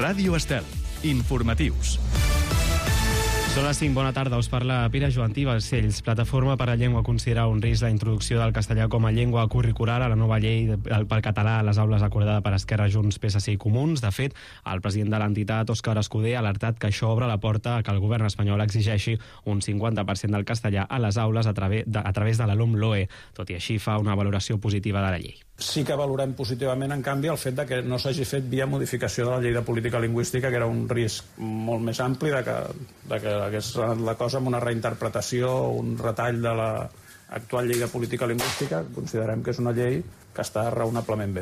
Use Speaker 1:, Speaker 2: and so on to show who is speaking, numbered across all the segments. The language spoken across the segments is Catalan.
Speaker 1: Ràdio Estel. Informatius.
Speaker 2: Són les 5, bona tarda, us parla Pere Joantí Balcells. Plataforma per la Llengua considera un risc la introducció del castellà com a llengua curricular a la nova llei pel català a les aules acordada per Esquerra, Junts, PSC i Comuns. De fet, el president de l'entitat, Òscar Escudé, ha alertat que això obre la porta a que el govern espanyol exigeixi un 50% del castellà a les aules a través de la LOMLOE. Tot i així, fa una valoració positiva de la llei.
Speaker 3: Sí que valorem positivament, en canvi, el fet de que no s'hagi fet via modificació de la llei de política lingüística, que era un risc molt més ampli de que hagués anat la cosa amb una reinterpretació o un retall de l'actual llei de política lingüística. Considerem que és una llei que està raonablement bé.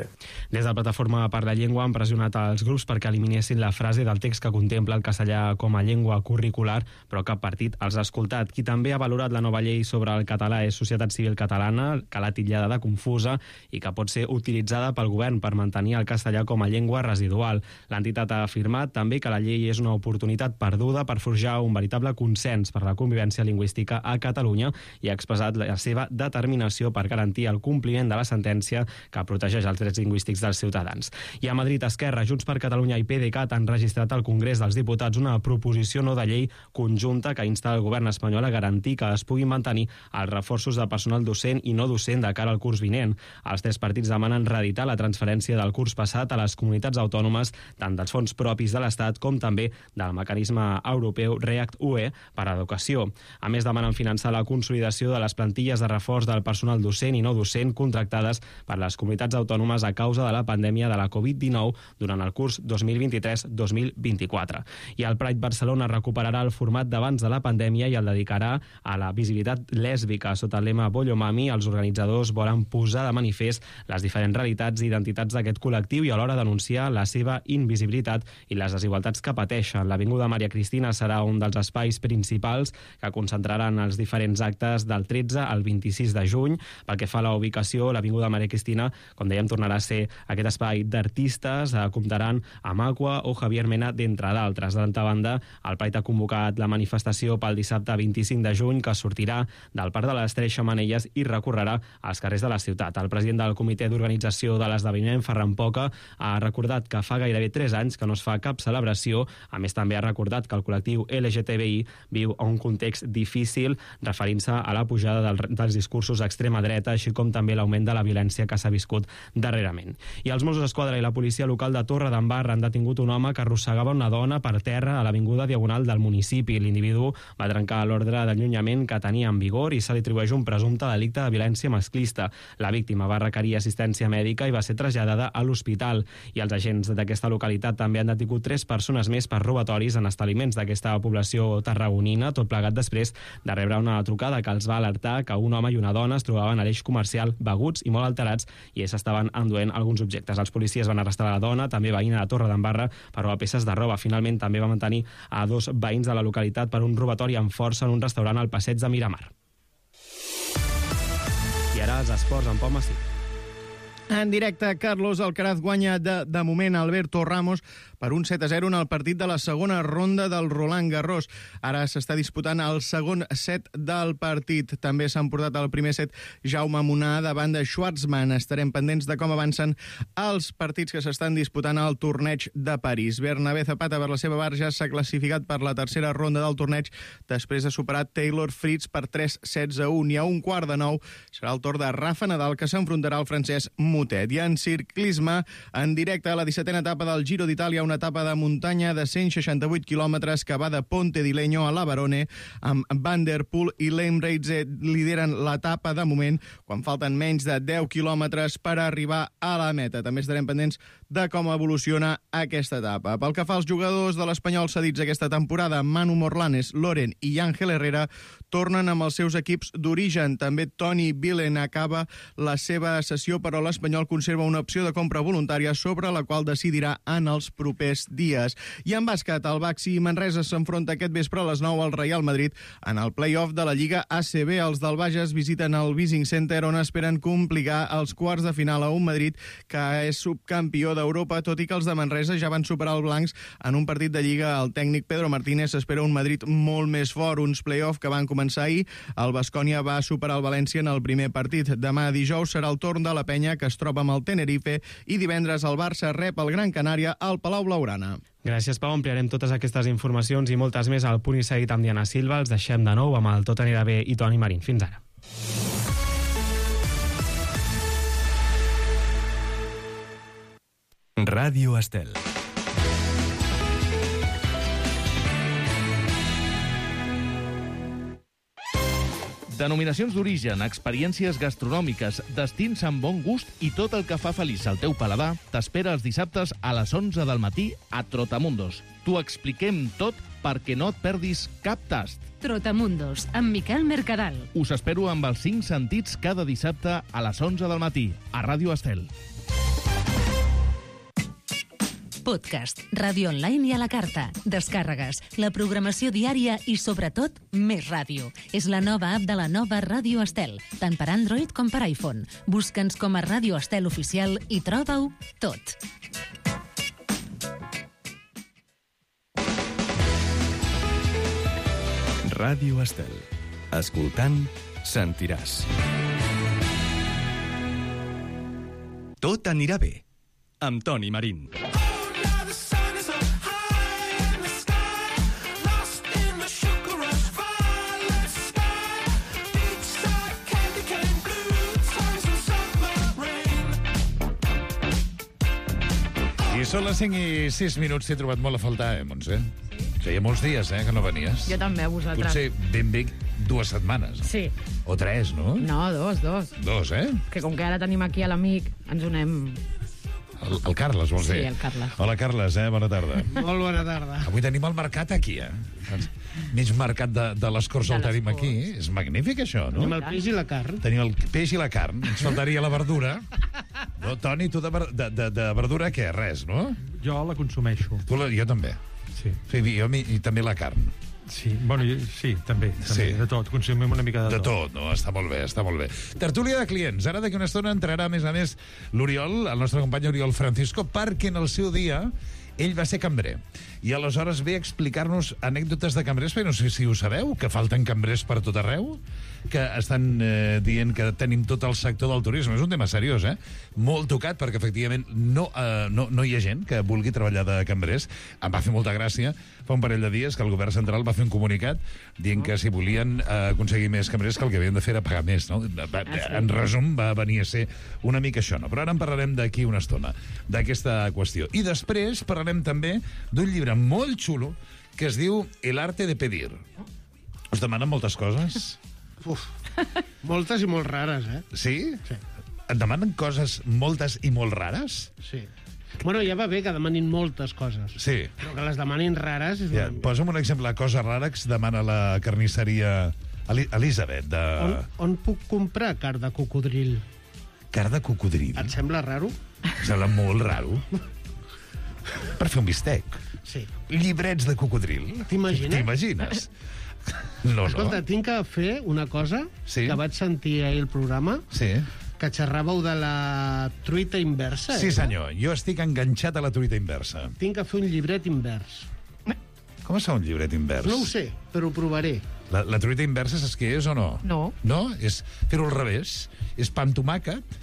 Speaker 2: Des de la Plataforma per la Llengua han pressionat els grups perquè eliminessin la frase del text que contempla el castellà com a llengua curricular, però cap partit els ha escoltat. Qui també ha valorat la nova llei sobre el català és Societat Civil Catalana, que l'ha titllada de confusa i que pot ser utilitzada pel govern per mantenir el castellà com a llengua residual. L'entitat ha afirmat també que la llei és una oportunitat perduda per forjar un veritable consens per la convivència lingüística a Catalunya i ha expressat la seva determinació per garantir el compliment de la sentència que protegeix els drets lingüístics dels ciutadans. I a Madrid, Esquerra, Junts per Catalunya i PDeCAT han registrat al Congrés dels Diputats una proposició no de llei conjunta que insta el govern espanyol a garantir que es puguin mantenir els reforços de personal docent i no docent de cara al curs vinent. Els tres partits demanen reeditar la transferència del curs passat a les comunitats autònomes tant dels fons propis de l'Estat com també del mecanisme europeu REACT-UE per a educació. A més, demanen finançar la consolidació de les plantilles de reforç del personal docent i no docent contractades per les comunitats autònomes a causa de la pandèmia de la Covid-19 durant el curs 2023-2024. I el Pride Barcelona recuperarà el format d'abans de la pandèmia i el dedicarà a la visibilitat lèsbica. Sota el lema Bollo Mami, els organitzadors volen posar de manifest les diferents realitats i identitats d'aquest col·lectiu i alhora denunciar la seva invisibilitat i les desigualtats que pateixen. L'Avinguda Maria Cristina serà un dels espais principals que concentraran els diferents actes del 13 al 26 de juny. Pel que fa a la ubicació, l'Avinguda Maria Cristina, com dèiem, tornarà a ser aquest espai d'artistes, comptaran amb Aqua o Javier Mena, d'entre d'altres. D'altra banda, el Pride ha convocat la manifestació pel dissabte 25 de juny, que sortirà del Parc de les Tres Xemeneies i recorrerà als carrers de la ciutat. El president del comitè d'organització de l'esdeveniment, Ferran Poca, ha recordat que fa gairebé 3 anys que no es fa cap celebració. A més, també ha recordat que el col·lectiu LGTBI viu un context difícil, referint-se a la pujada dels discursos d'extrema dreta, així com també l'augment de la violència que s'ha viscut darrerament. I els Mossos d'Esquadra i la policia local de Torredembarra han detingut un home que arrossegava una dona per terra a l'avinguda Diagonal del municipi. L'individu va trencar l'ordre d'allunyament que tenia en vigor i se li atribueix un presumpte delicte de violència masclista. La víctima va requerir assistència mèdica i va ser traslladada a l'hospital. I els agents d'aquesta localitat també han detingut 3 persones més per robatoris en establiments d'aquesta població tarragonina, tot plegat després de rebre una trucada que els va alertar que un home i una dona es trobaven a l'eix comercial beguts i molt alterats i s'estaven enduent alguns objectes. Els policies van arrestar la dona, també veïna de Torredembarra, per robar peces de roba. Finalment també va mantenir a 2 veïns de la localitat per un robatori amb força en un restaurant al passeig de Miramar. I ara els esports en Pau Massí.
Speaker 4: En directe, Carlos Alcaraz guanya de moment Alberto Ramos per un 7-0 en el partit de la segona ronda del Roland Garros. Ara s'està disputant el segon set del partit. També s'ha emportat el primer set Jaume Munar davant de Schwartzman. Estarem pendents de com avancen els partits que s'estan disputant al torneig de París. Bernabé Zapata, per la seva part, ja s'ha classificat per la tercera ronda del torneig després de superar Taylor Fritz per 3-16-1. I a un quart de 9 serà el torn de Rafa Nadal, que s'enfrontarà al francès Motet. I en ciclisme, en directe a la 17a etapa del Giro d'Itàlia, una etapa de muntanya de 168 quilòmetres que va de Ponte di Legno a la Barone, amb Van der Poel i Leemreize lideren l'etapa de moment, quan falten menys de 10 quilòmetres per arribar a la meta. També estarem pendents de com evoluciona aquesta etapa. Pel que fa als jugadors de l'Espanyol cedits aquesta temporada, Manu Morlanes, Loren i Ángel Herrera tornen amb els seus equips d'origen. També Toni Vilen acaba la seva sessió, però l'Espanyol conserva una opció de compra voluntària sobre la qual decidirà en els propers dies. I en bàsquet, el Baxi Manresa s'enfronta aquest vespre a les 9 al Real Madrid en el play-off de la Lliga ACB. Els del Bages visiten el Vising Center, on esperen complicar els quarts de final a un Madrid que és subcampió d'Europa, tot i que els de Manresa ja van superar el blancs en un partit de Lliga. El tècnic Pedro Martínez espera un Madrid molt més fort, uns play-off que van començar ahir. El Baskonia va superar el València en el primer partit. Demà dijous serà el torn de la Penya, que es troba amb el Tenerife, i divendres el Barça rep el Gran Canària al Palau Blaugrana.
Speaker 2: Gràcies, Pau. Ampliarem totes aquestes informacions i moltes més al Punt i Seguit amb Diana Silva. Els deixem de nou amb el Tot anirà bé i Toni Marín. Fins ara.
Speaker 1: Ràdio Estel.
Speaker 5: Denominacions d'origen, experiències gastronòmiques, destins amb bon gust i tot el que fa feliç al teu paladar t'espera els dissabtes a les 11 del matí a Trotamundos. T'ho expliquem tot perquè no et perdis cap tast.
Speaker 6: Trotamundos, amb Miquel Mercadal.
Speaker 5: Us espero amb els 5 sentits cada dissabte a les 11 del matí a Ràdio Estel.
Speaker 6: Podcast, ràdio online i a la carta, descàrregues, la programació diària i, sobretot, més ràdio. És la nova app de la nova Ràdio Estel, tant per Android com per iPhone. Busca'ns com a Ràdio Estel Oficial i troba-ho tot.
Speaker 1: Ràdio Estel. Escoltant, sentiràs. Tot anirà bé. Amb Toni Marín.
Speaker 7: I són les 5 i 6 minuts. T'he trobat molt a faltar, Montse? Feia molts dies, que no venies.
Speaker 8: Jo també, a vosaltres.
Speaker 7: Potser ben bé 2 setmanes.
Speaker 8: Sí.
Speaker 7: O 3, no?
Speaker 8: No, 2.
Speaker 7: 2,
Speaker 8: Que com que ara tenim aquí a l'amic, ens unem...
Speaker 7: El Carles, vols dir?
Speaker 8: Sí, el Carles.
Speaker 7: Hola, Carles, bona tarda.
Speaker 4: Molt bona tarda.
Speaker 7: Avui tenim el mercat aquí, Mig mercat de les Corts el tenim aquí. És magnífic, això, no?
Speaker 9: Tenim el peix i la carn.
Speaker 7: Tenim el peix i la carn. Ens faltaria la verdura. No, Toni, tu de verdura què? Res, no?
Speaker 9: Jo la consumeixo.
Speaker 7: Jo també.
Speaker 9: Sí.
Speaker 7: Sí, i també la carn.
Speaker 9: Sí, bueno, sí, també.
Speaker 7: Sí.
Speaker 9: De tot, consumim una mica de tot.
Speaker 7: De tot, no? Està molt bé, està molt bé. Tertúlia de clients. Ara d'aquí una estona entrarà, a més, l'Oriol, el nostre company Oriol Francisco, perquè en el seu dia ell va ser cambrer. I aleshores ve a explicar-nos anècdotes de cambrers, però no sé si ho sabeu, que falten cambrers per tot arreu, que estan dient que tenim tot el sector del turisme. És un tema seriós, Molt tocat, perquè efectivament no hi ha gent que vulgui treballar de cambrers. Em va fer molta gràcia fa un parell de dies que el govern central va fer un comunicat dient que si volien aconseguir més cambrers que el que havien de fer era pagar més, no? En resum, va venir a ser una mica això, no? Però ara en parlarem d'aquí una estona, d'aquesta qüestió. I després parlarem també d'un llibre molt xulo que es diu El arte de pedir. Us demanen moltes coses?
Speaker 9: Uf, moltes i molt rares,
Speaker 7: Sí?
Speaker 9: Sí.
Speaker 7: Et demanen coses moltes i molt rares?
Speaker 9: Sí. Bueno, ja va bé que demanin moltes coses.
Speaker 7: Sí.
Speaker 9: Però que les demanin rares... És
Speaker 7: Ja, posa'm un exemple de cosa rara que es demana la carnisseria Elisabet.
Speaker 9: On puc comprar carn de cocodril?
Speaker 7: Carn de cocodril?
Speaker 9: Et sembla raro?
Speaker 7: Sembla molt raro. Per fer un bistec.
Speaker 9: Sí.
Speaker 7: Llibrets de cocodril. T'imagines? No,
Speaker 9: Escolta, tinc que fer una cosa que vaig sentir ahir al programa, que xerràveu de la truita inversa.
Speaker 7: Sí, senyor. Jo estic enganxat a la truita inversa.
Speaker 9: Tinc que fer un llibret invers.
Speaker 7: Com es fa un llibret invers?
Speaker 9: No ho sé, però ho provaré.
Speaker 7: La truita inversa saps què és o no?
Speaker 8: No.
Speaker 7: No? És fer-ho al revés. És pa amb tomàquet,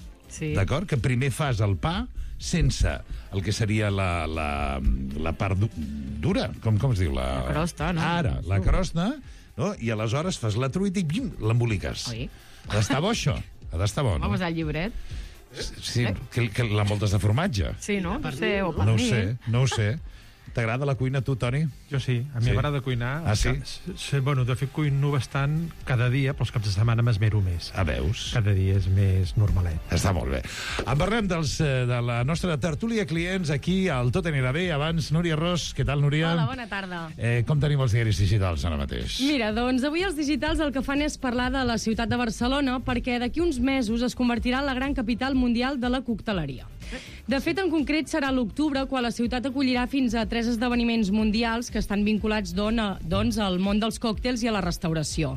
Speaker 7: d'acord? Que primer fas el pa sense el que seria la part dura. Com es diu? La
Speaker 8: crosta, no?
Speaker 7: Ara, la crosta, no? I aleshores fas la truita i l'emboliques. Ha d'estar bo, això. Ha d'estar bo, no?
Speaker 8: Vamos al llibret.
Speaker 7: Sí, que la moltes de formatge.
Speaker 8: Sí, no? No sé, o per
Speaker 7: No ho
Speaker 8: mi.
Speaker 7: sé, no ho sé. T'agrada la cuina, tu, Toni?
Speaker 9: Jo sí, a mi m'agrada cuinar.
Speaker 7: Ah, sí?
Speaker 9: Bueno, de fet, cuino bastant cada dia, però els caps de setmana m'esmero més.
Speaker 7: Veus?
Speaker 9: Cada dia és més normalet.
Speaker 7: Està molt bé. En parlem de la nostra tertúlia clients aquí al Tot anirà bé. Abans, Núria Ros. Què tal, Núria?
Speaker 10: Hola, bona tarda.
Speaker 7: Com tenim els diaris digitals ara mateix?
Speaker 10: Mira, doncs avui els digitals el que fan és parlar de la ciutat de Barcelona perquè d'aquí uns mesos es convertirà en la gran capital mundial de la cocteleria. De fet, en concret, serà l'octubre quan la ciutat acollirà fins a 3 esdeveniments mundials que estan vinculats doncs, al món dels còctels i a la restauració.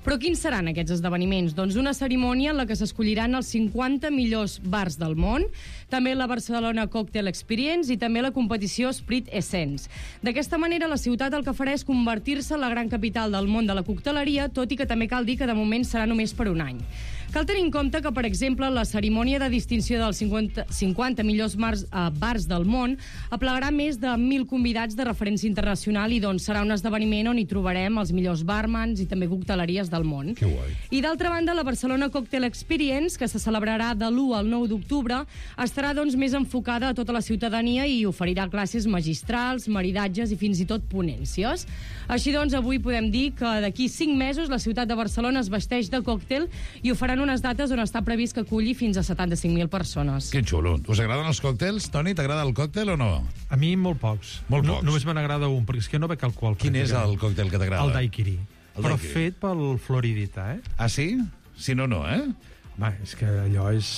Speaker 10: Però quins seran aquests esdeveniments? Doncs una cerimònia en la que s'escolliran els 50 millors bars del món, també la Barcelona Cocktail Experience i també la competició Sprit Essence. D'aquesta manera, la ciutat el que farà és convertir-se en la gran capital del món de la cocteleria, tot i que també cal dir que de moment serà només per un any. Cal tenir en compte que, per exemple, la cerimònia de distinció dels 50 millors bars del món aplegarà més de 1.000 convidats de referència internacional i doncs serà un esdeveniment on hi trobarem els millors barmans i també cocteleries del món.
Speaker 7: Que guai.
Speaker 10: I d'altra banda, la Barcelona Cocktail Experience, que se celebrarà de l'1 al 9 d'octubre, estarà doncs més enfocada a tota la ciutadania i oferirà classes magistrals, maridatges i fins i tot ponències. Així doncs, avui podem dir que d'aquí 5 mesos la ciutat de Barcelona es vesteix de còctel i ho faran unes dates on està previst que aculli fins a 75.000 persones.
Speaker 7: Que xulo. Us agraden els còctels? Toni, t'agrada el còctel o no?
Speaker 11: A mi molt pocs.
Speaker 7: Molt pocs.
Speaker 11: Només me n'agrada un, perquè és que no bec alcohol.
Speaker 7: Quin és el còctel que t'agrada?
Speaker 11: El daiquiri. Però fet pel Floridita, eh?
Speaker 7: Ah, sí? Si no, no, eh?
Speaker 11: Va, és que allò és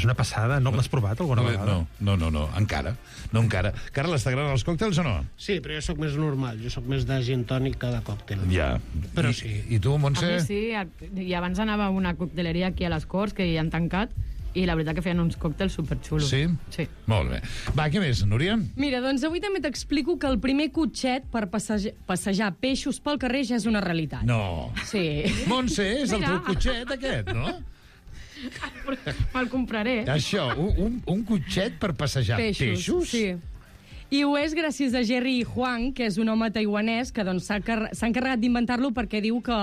Speaker 11: una passada. No l'has provat alguna vegada?
Speaker 7: No, encara. No encara. Carles, t'agraden els còctels o no?
Speaker 9: Sí, però jo sóc més normal. Jo sóc més de gin tònic que de còctel.
Speaker 7: Ja.
Speaker 9: Però sí.
Speaker 7: I tu, Montse?
Speaker 8: A mi sí. I abans anava a una cocteleria aquí a les Corts, que hi han tancat, i la veritat que feien uns còctels superxulos.
Speaker 7: Sí?
Speaker 8: Sí.
Speaker 7: Molt bé. Va, què més, Núria?
Speaker 10: Mira, doncs avui també t'explico que el primer cotxet per passejar peixos pel carrer ja és una realitat.
Speaker 7: No.
Speaker 10: Sí.
Speaker 7: Montse, és el teu cotxet, aquest, no?
Speaker 8: Me'l compraré.
Speaker 7: Això, un cotxet per passejar peixos?
Speaker 10: Sí. I ho és gràcies a Jerry Huang, que és un home taiwanès que doncs, s'ha encarregat d'inventar-lo perquè diu que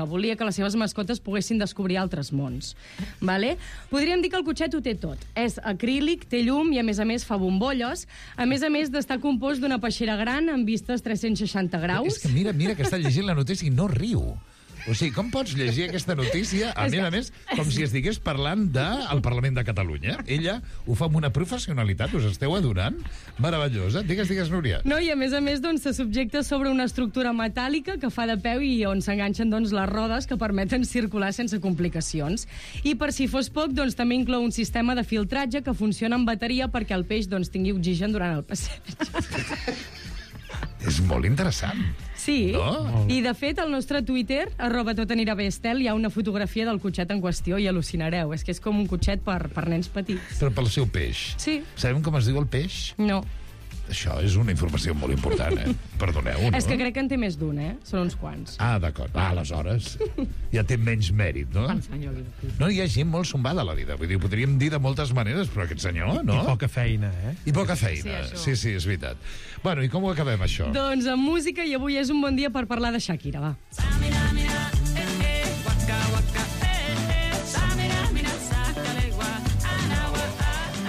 Speaker 10: volia que les seves mascotes poguessin descobrir altres mons. Vale? Podríem dir que el cotxet ho té tot. És acrílic, té llum i, a més, fa bombolles. A més d'estar compost d'una peixera gran amb vistes 360 graus.
Speaker 7: És que mira que està llegint la notícia i no riu. O sigui, com pots llegir aquesta notícia, a més, com si estigués parlant del Parlament de Catalunya? Ella ho fa amb una professionalitat, us esteu adonant? Meravellosa. Digues, Núria.
Speaker 10: No, i a més, doncs, se subjecta sobre una estructura metàl·lica que fa de peu i on s'enganxen doncs, les rodes que permeten circular sense complicacions. I per si fos poc, doncs, també inclou un sistema de filtratge que funciona amb bateria perquè el peix doncs, tingui oxigen durant el passeig.
Speaker 7: És molt interessant.
Speaker 10: Sí,
Speaker 7: no?
Speaker 10: I de fet al nostre Twitter, @totanirabestel, hi ha una fotografia del cotxet en qüestió i al·lucinareu. És que és com un cotxet per nens petits.
Speaker 7: Però pel seu peix.
Speaker 10: Sí.
Speaker 7: Sabem com es diu el peix?
Speaker 10: No.
Speaker 7: Això és una informació molt important, eh? Perdoneu, no?
Speaker 10: És que crec que en té més d'un, eh? Són uns quants.
Speaker 7: Ah, d'acord. Aleshores ja té menys mèrit, no? No, hi ha gent molt sombada a la vida. Vull dir, podríem dir de moltes maneres, però aquest senyor, no?
Speaker 11: I poca feina, eh?
Speaker 7: I poca feina. Sí, és veritat. Bueno, i com ho acabem, això?
Speaker 10: Doncs amb música, i avui és un bon dia per parlar de Shakira, va.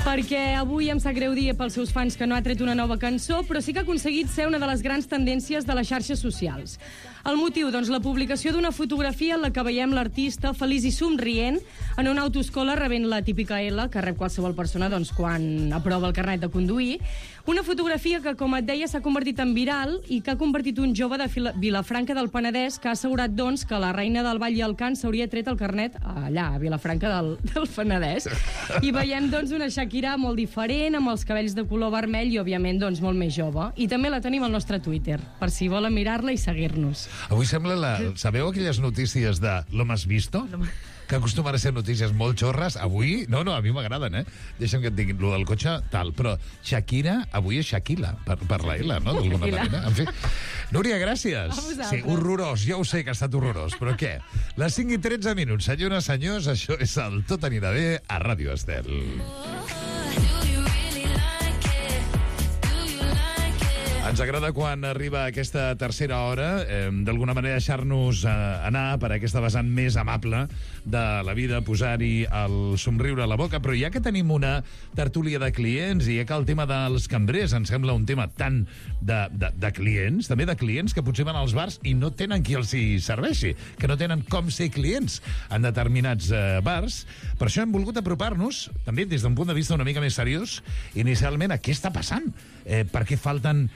Speaker 10: Perquè avui em sap greu dir pels seus fans que no ha tret una nova cançó, però sí que ha aconseguit ser una de les grans tendències de les xarxes socials. El motiu, doncs, la publicació d'una fotografia en la que veiem l'artista feliç i somrient en una autoescola rebent la típica L que rep qualsevol persona doncs, quan aprova el carnet de conduir. Una fotografia que, com et deia, s'ha convertit en viral i que ha convertit un jove de Vilafranca del Penedès que ha assegurat, doncs, que la reina del ball i el cant s'hauria tret el carnet allà, a Vilafranca del Penedès. I veiem, doncs, una Shakira molt diferent, amb els cabells de color vermell i, òbviament, doncs, molt més jove. I també la tenim al nostre Twitter, per si volen mirar-la i seguir-nos.
Speaker 7: Avui sembla Sabeu aquelles notícies de «Lo has visto?» que acostumen a ser notícies molt xorres. Avui, no, a mi m'agraden, eh? Deixa'm que et diguin, lo del cotxe, tal. Però Shakira, avui és Shakila, per la L, no? D'alguna manera. En fi. Núria, gràcies. Sí, horrorós, ja ho sé que ha estat horrorós, però què? Les 5:13 minuts, senyores, senyors, això és el Tot anirà bé a Ràdio Estel. Ens agrada quan arriba aquesta tercera hora, d'alguna manera deixar-nos anar per aquesta vessant més amable de la vida, posar-hi el somriure a la boca, però ja que tenim una tertúlia de clients i ja que el tema dels cambrers ens sembla un tema tant de clients, també de clients que potser van als bars i no tenen qui els hi serveixi, que no tenen com ser clients en determinats bars. Per això hem volgut apropar-nos, també des d'un punt de vista una mica més seriós, inicialment a què està passant, per què falten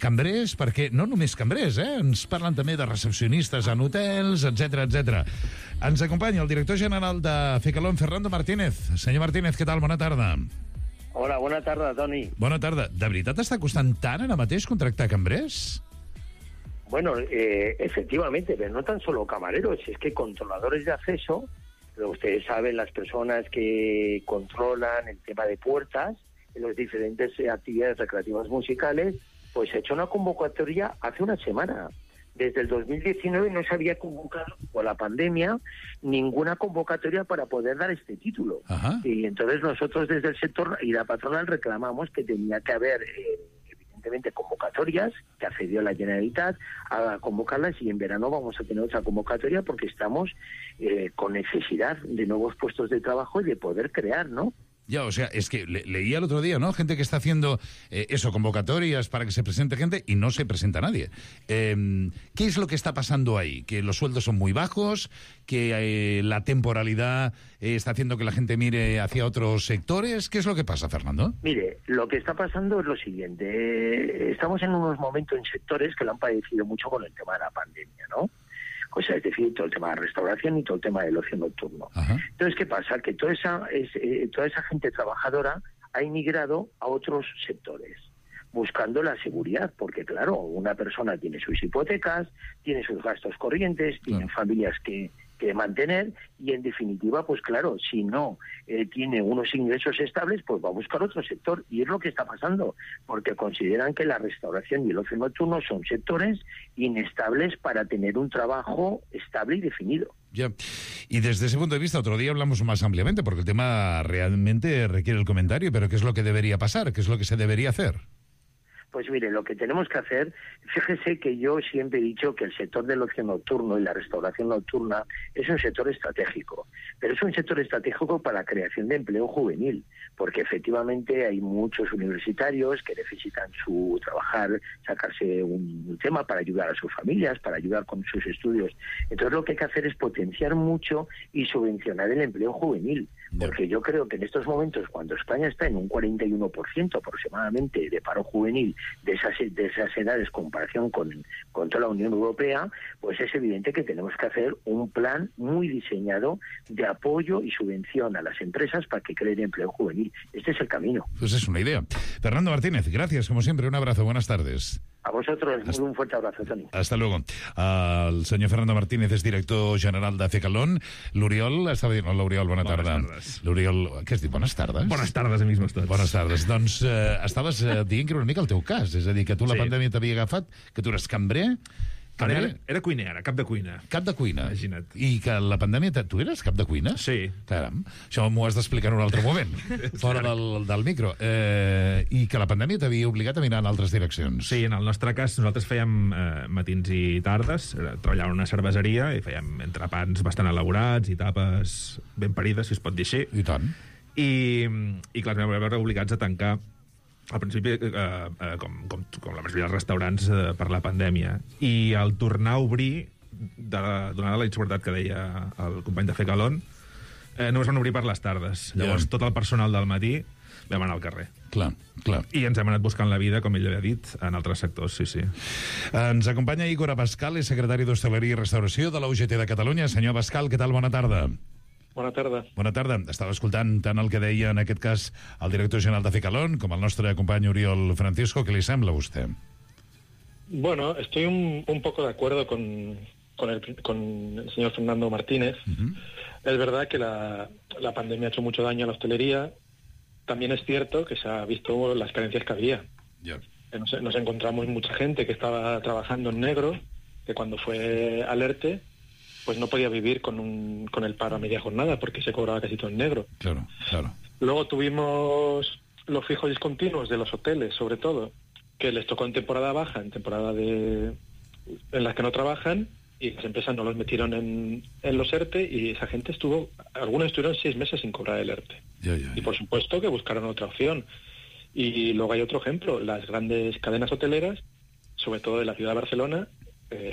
Speaker 7: cambrers, perquè no només cambrers, ens parlen també de recepcionistes en hotels, etc. Ens acompanya el director general de Fecalón, Fernando Martínez. Senyor Martínez, què tal? Bona tarda.
Speaker 12: Hola, bona tarda, Toni.
Speaker 7: Bona tarda. De veritat està costant tant ara mateix contractar cambrers?
Speaker 12: Bueno, efectivamente, pero no tan solo camareros, es que controladores de acceso, pero ustedes saben, las personas que controlan el tema de puertas en las diferentes actividades recreativas musicales, pues he hecho una convocatoria hace una semana Desde el 2019 no se había convocado por la pandemia ninguna convocatoria para poder dar este título.
Speaker 7: Ajá.
Speaker 12: Y entonces nosotros desde el sector y la patronal reclamamos que tenía que haber evidentemente convocatorias, que accedió la Generalitat a convocarlas, y en verano vamos a tener otra convocatoria porque estamos con necesidad de nuevos puestos de trabajo y de poder crear, ¿no?
Speaker 7: Ya, o sea, es que leía el otro día, ¿no? Gente que está haciendo convocatorias para que se presente gente y no se presenta nadie. ¿Qué es lo que está pasando ahí? ¿Que los sueldos son muy bajos? ¿Que la temporalidad está haciendo que la gente mire hacia otros sectores? ¿Qué es lo que pasa, Fernando?
Speaker 12: Mire, lo que está pasando es lo siguiente. Estamos en unos momentos en sectores que lo han padecido mucho con el tema de la pandemia, ¿no? O sea, es decir, todo el tema de la restauración y todo el tema del ocio nocturno. Ajá. Entonces, ¿qué pasa? Que toda esa gente trabajadora ha emigrado a otros sectores, buscando la seguridad, porque claro, una persona tiene sus hipotecas, tiene sus gastos corrientes, tiene familias que mantener, y en definitiva, pues claro, si no tiene unos ingresos estables, pues va a buscar otro sector, y es lo que está pasando, porque consideran que la restauración y el ocio nocturno son sectores inestables para tener un trabajo estable y definido.
Speaker 7: Ya. Y desde ese punto de vista, otro día hablamos más ampliamente, porque el tema realmente requiere el comentario, pero ¿qué es lo que debería pasar? ¿Qué es lo que se debería hacer?
Speaker 12: Pues mire, lo que tenemos que hacer, fíjese que yo siempre he dicho que el sector del ocio nocturno y la restauración nocturna es un sector estratégico, pero es un sector estratégico para la creación de empleo juvenil, porque efectivamente hay muchos universitarios que necesitan trabajar, sacarse un tema para ayudar a sus familias, para ayudar con sus estudios. Entonces lo que hay que hacer es potenciar mucho y subvencionar el empleo juvenil, porque yo creo que en estos momentos, cuando España está en un 41% aproximadamente de paro juvenil, de esas edades, comparación con toda la Unión Europea, pues es evidente que tenemos que hacer un plan muy diseñado de apoyo y subvención a las empresas para que creen empleo juvenil. Este es el camino.
Speaker 7: Pues es una idea. Fernando Martínez, gracias, como siempre, un abrazo, buenas tardes.
Speaker 12: A vosotros, un fuerte abrazo, Toni.
Speaker 7: Hasta luego. El senyor Fernando Martínez és director general de Fecalón. L'Oriol estava dient... Hola, Oriol, bona tarda. L'Oriol... Què has dit? Bones tardes?
Speaker 11: Bones tardes, amics meus tots.
Speaker 7: Bones tardes. Doncs estaves dient que era una mica el teu cas. És a dir, que tu la pandèmia t'havia agafat, que tu eres cambrer...
Speaker 11: Era cuiner, era cap de cuina.
Speaker 7: Cap de cuina.
Speaker 11: Imagina't.
Speaker 7: I que la pandèmia... Tu eres cap de cuina?
Speaker 11: Sí.
Speaker 7: Caram, això m'ho has d'explicar en un altre moment, fora del micro. I que la pandèmia t'havia obligat a mirar en altres direccions.
Speaker 11: Sí, en el nostre cas nosaltres fèiem matins i tardes, treballàvem en una cerveseria i fèiem entrepans bastant elaborats i tapes ben parides, si es pot dir així.
Speaker 7: I tant.
Speaker 11: I clar, ens vam veure obligats a tancar al principi, com la majoria dels restaurants, per la pandèmia. I al tornar a obrir, donada la inseguretat que deia el company de Fecalón, només van obrir per les tardes. Llavors, tot el personal del matí vam anar al carrer.
Speaker 7: Clar.
Speaker 11: I ens hem anat buscant la vida, com ell havia dit, en altres sectors, sí.
Speaker 7: Ens acompanya Igor Abascal, és secretari d'Hostaleria i Restauració de la UGT de Catalunya. Senyor Abascal, què tal? Bona tarda.
Speaker 13: Bona tarda.
Speaker 7: Bona tarda. Estava escoltant tant el que deia, en aquest cas, el director general de Fecalón com el nostre company Oriol Francisco. ¿Qué le sembla a usted?
Speaker 13: Bueno, estoy un poco de acuerdo con el señor Fernando Martínez. Es verdad que la pandemia ha hecho mucho daño a la hostelería. También es cierto que se ha visto las carencias que había. Nos encontramos mucha gente que estaba trabajando en negro, que cuando fue al ERTE, pues no podía vivir con el paro a media jornada porque se cobraba casi todo en negro.
Speaker 7: Claro.
Speaker 13: Luego tuvimos los fijos discontinuos de los hoteles, sobre todo, que les tocó en temporada baja, en temporada en las que no trabajan, y las empresas no los metieron en los ERTE, y esa gente algunos estuvieron 6 meses sin cobrar el ERTE. Y por supuesto que buscaron otra opción. Y luego hay otro ejemplo, las grandes cadenas hoteleras, sobre todo de la ciudad de Barcelona,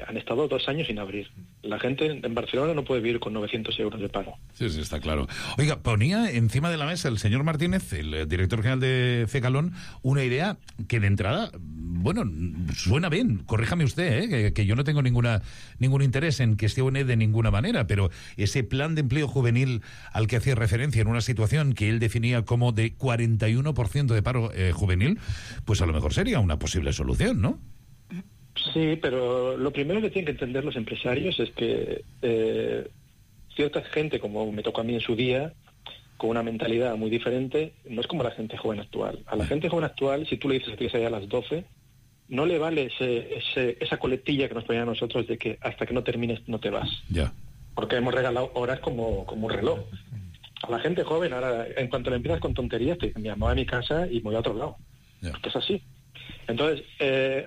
Speaker 13: han estado 2 años sin abrir. La gente en Barcelona no puede vivir con 900 euros de pago.
Speaker 7: Sí, está claro. Oiga, ponía encima de la mesa el señor Martínez, el director general de Fecalón, una idea que de entrada, bueno, suena bien. Corríjame usted, que yo no tengo ningún interés en que esté de ninguna manera, pero ese plan de empleo juvenil al que hacía referencia en una situación que él definía como de 41% de paro juvenil, pues a lo mejor sería una posible solución, ¿no?
Speaker 13: Sí, pero lo primero que tienen que entender los empresarios es que cierta gente, como me tocó a mí en su día, con una mentalidad muy diferente, no es como la gente joven actual. A la gente joven actual, si tú le dices que tienes que salir a las 12, no le vale esa coletilla que nos ponían a nosotros de que hasta que no termines no te vas.
Speaker 7: Ya.
Speaker 13: Porque hemos regalado horas como un reloj. A la gente joven, ahora, en cuanto le empiezas con tonterías, te dicen, me voy a mi casa y me voy a otro lado.
Speaker 7: Ya.
Speaker 13: Porque es así. Entonces,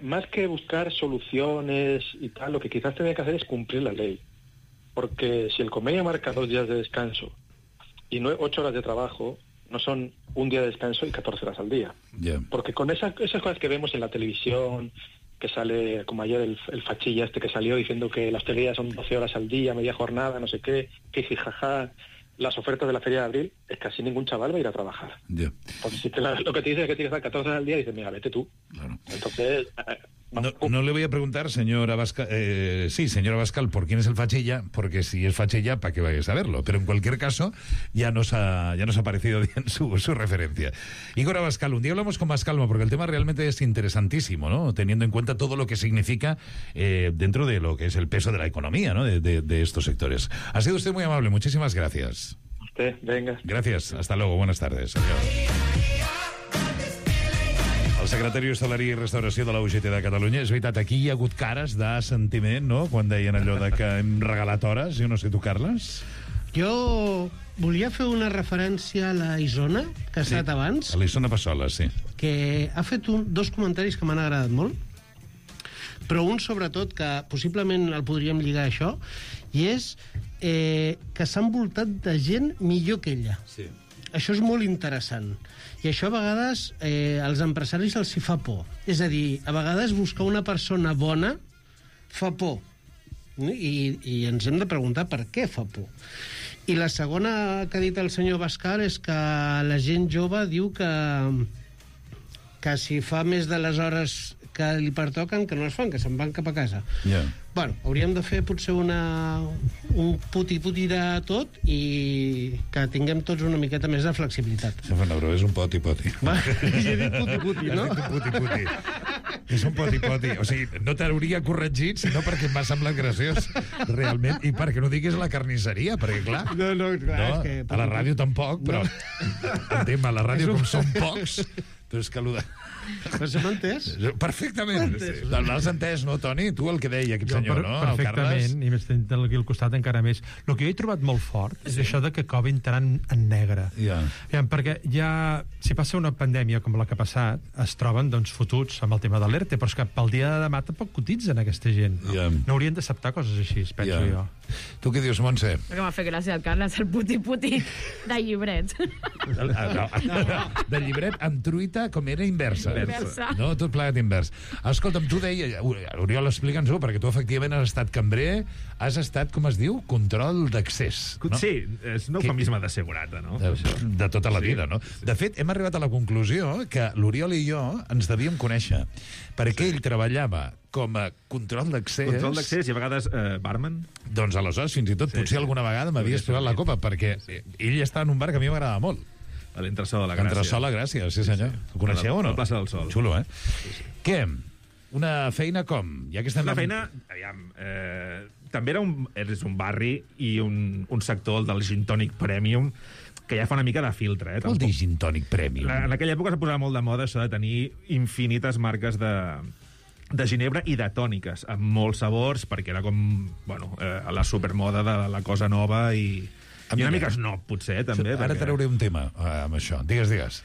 Speaker 13: más que buscar soluciones y tal, lo que quizás tenía que hacer es cumplir la ley. Porque si el convenio marca 2 días de descanso y 8 horas de trabajo, no son un día de descanso y 14 horas al día.
Speaker 7: Yeah.
Speaker 13: Porque con esas cosas que vemos en la televisión, que sale, como ayer el fachilla que salió diciendo que la hostelería son 12 horas al día, media jornada, no sé qué, jijijaja, las ofertas de la Feria de Abril, es que así ningún chaval va a ir a trabajar.
Speaker 7: Yeah.
Speaker 13: Porque si lo que te dice es que tienes que estar 14 horas al día, dices, mira, vete tú.
Speaker 7: Claro.
Speaker 13: Entonces...
Speaker 7: No le voy a preguntar, señora Abascal, señora Abascal, por quién es el fachilla, porque si es fachilla, ¿para qué vaya a saberlo? Pero en cualquier caso, ya nos ha parecido bien su referencia. Igor Abascal, un día hablamos con más calma, porque el tema realmente es interesantísimo, ¿no? Teniendo en cuenta todo lo que significa dentro de lo que es el peso de la economía, ¿no? De estos sectores. Ha sido usted muy amable, muchísimas gracias.
Speaker 13: Usted, venga.
Speaker 7: Gracias, hasta luego, buenas tardes. Adiós. El secretari d'Hostaleria i Restauració de la UGT de Catalunya. És veritat, aquí hi ha hagut cares de sentiment, no?, quan deien allò de que hem regalat hores. Jo no sé, tu, Carles?
Speaker 9: Jo volia fer una referència a la Isona, que ha estat abans.
Speaker 7: A la Isona Passola, sí.
Speaker 9: Que ha fet dos comentaris que m'han agradat molt, però un, sobretot, que possiblement el podríem lligar a això, i és que s'ha envoltat de gent millor que ella.
Speaker 7: Sí.
Speaker 9: Això és molt interessant. I això a vegades als empresaris els hi fa por. És a dir, a vegades buscar una persona bona fa por. I ens hem de preguntar per què fa por. I la segona que ha dit el senyor Abascal és que la gent jove diu que si fa més de les hores que li pertoquen, que no es fan, que se'n van cap a casa.
Speaker 7: Yeah.
Speaker 9: Bueno, hauríem de fer potser un puti-puti de tot i que tinguem tots una miqueta més de flexibilitat.
Speaker 7: Se fa una broma, és un poti-poti.
Speaker 9: Va, he dit puti-puti, no?
Speaker 7: Has dit un puti-puti. És un poti-poti. O sigui, no t'hauria corregit, sinó perquè m'ha semblat graciós, realment, i perquè no diguis la carnisseria, perquè, clar...
Speaker 9: No, clar, és que...
Speaker 7: A la ràdio tampoc, però... Entenc, a la ràdio, com són pocs, doncs que allò de...
Speaker 9: Però se m'ha entès?
Speaker 7: Perfectament. L'has entès, no, Toni? Tu el que deia aquest senyor, no?
Speaker 14: Perfectament, i més tenint aquí al costat encara més. El que jo he trobat molt fort és això de que acabi entrant en negre. Perquè ja, si passa una pandèmia com la que ha passat, es troben doncs fotuts amb el tema de l'ERTE, però és que pel dia de demà tampoc cotitzen aquesta gent. No haurien d'acceptar coses així, penso jo.
Speaker 7: Tu què dius, Montse?
Speaker 8: Perquè m'ha fet gràcia el Carles, el puti-puti de llibret.
Speaker 7: De llibret amb truita com era inversa. No, tot plegat invers. Escolta'm, tu deia, Oriol, explica'ns-ho, perquè tu efectivament has estat cambrer, has estat, com es diu, control d'accés. No?
Speaker 11: Sí, és un eufemisme de segurata, no?
Speaker 7: De tota la vida, no? De fet, hem arribat a la conclusió que l'Oriol i jo ens devíem conèixer, perquè ell treballava com a control d'accés...
Speaker 11: Control d'accés i a vegades barman.
Speaker 7: Doncs aleshores, fins i tot, potser alguna vegada m'havies provat la copa, perquè ell està en un bar que a mi m'agradava molt.
Speaker 11: A l'Entresol de la Gràcia.
Speaker 7: L'Entresol de la Gràcia, sí senyor. Ho coneixeu o no?
Speaker 11: A la plaça del Sol.
Speaker 7: Xulo, eh? Què? Una feina com? Ja que estem...
Speaker 11: Una feina, aviam, també és un barri i un sector del gin tònic premium que ja fa una mica de filtre,
Speaker 7: Què vol dir gin tònic premium?
Speaker 11: En aquella època es posava molt de moda això de tenir infinites marques de ginebra i de tòniques, amb molts sabors, perquè era com, bueno, la supermoda de la cosa nova i una mica snob, potser, també.
Speaker 7: Ara trauré un tema amb això. Digues.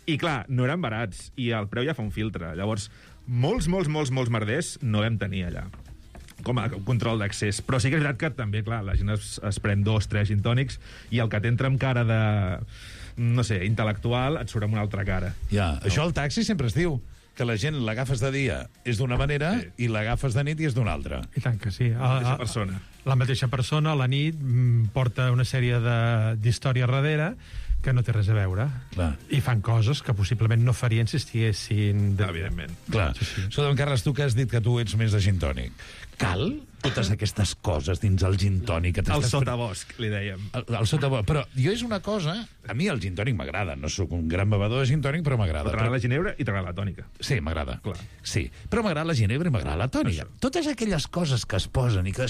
Speaker 11: I clar, no eren barats, i el preu ja fa un filtre. Llavors, molts merders no vam tenir allà, com a control d'accés. Però sí que és veritat que també, clar, la gent es pren 2, 3 gin tònics, i el que t'entra amb cara de, no sé, intel·lectual, et surt amb una altra cara.
Speaker 7: Ja, això al taxi sempre es diu, que la gent l'agafes de dia és d'una manera i l'agafes de nit i és d'una altra.
Speaker 14: I tant que sí.
Speaker 11: La mateixa persona.
Speaker 14: La mateixa persona, a la nit, porta una sèrie d'històries darrere que no té res a veure.
Speaker 7: Clar.
Speaker 14: I fan coses que possiblement no farien si estiguessin...
Speaker 11: Evidentment.
Speaker 7: Clar. Sí. Escolta'm, Carles, tu que has dit que tu ets més de gin tònic, cal totes aquestes coses dins el gin tònic.
Speaker 11: El sotabosc, li dèiem.
Speaker 7: El sotabosc. Però jo és una cosa... A mi el gin tònic m'agrada. No sóc un gran bevedor de gin tònic, però m'agrada.
Speaker 11: T'agrada la ginebra i t'agrada la tònica.
Speaker 7: Sí, m'agrada.
Speaker 11: Clar.
Speaker 7: Sí, però m'agrada la ginebra i m'agrada la tònica. Totes aquelles coses que es posen i que...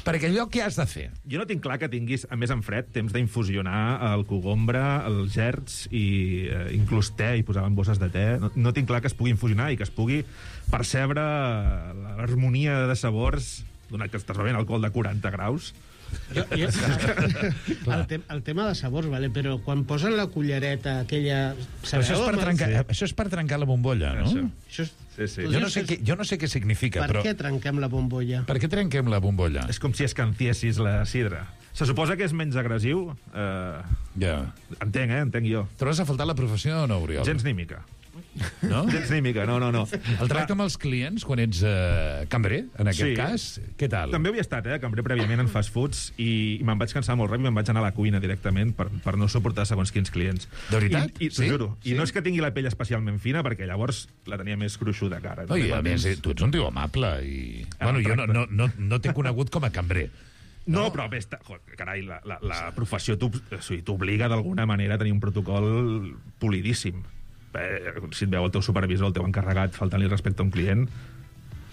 Speaker 7: Perquè allò què has de fer?
Speaker 11: Jo no tinc clar que tinguis, a més en fred, temps d'infusionar el cogombre, els gerds i inclús te, i posar en bosses de te. No tinc clar que es pugui infusionar i que es pugui percebre l'harmonia de sabors, donat que estàs bevent alcohol de 40 graus.
Speaker 9: El tema de sabors, vale, però quan posen la cullereta aquella...
Speaker 7: Això és per trencar la bombolla, no?
Speaker 11: Sí.
Speaker 7: Jo no sé què significa, però...
Speaker 9: Per què trenquem la bombolla?
Speaker 7: Per què trenquem la bombolla?
Speaker 11: És com si escanciessis la sidra. Se suposa que és menys agressiu. Entenc jo.
Speaker 7: Trobes a faltar la professió o no, Oriol?
Speaker 11: Gens ni mica.
Speaker 7: No?
Speaker 11: Gens ni mica, no.
Speaker 7: El tracte amb els clients, quan ets cambrer, en aquest cas, què tal?
Speaker 11: També havia estat, cambrer prèviament en fast foods i me'n vaig cansar molt ràpid i me'n vaig anar a la cuina directament per no suportar segons quins clients.
Speaker 7: De veritat?
Speaker 11: T'ho juro. I no és que tingui la pell especialment fina, perquè llavors la tenia més gruixuda cara.
Speaker 7: No, i a més, tu ets un tio amable i... Bueno, jo no t'he conegut com a cambrer.
Speaker 11: No, però bé, carai, la professió t'obliga d'alguna manera a tenir un protocol polidíssim. Si et veu el teu supervisor, el teu encarregat, faltant-li respecte a un client,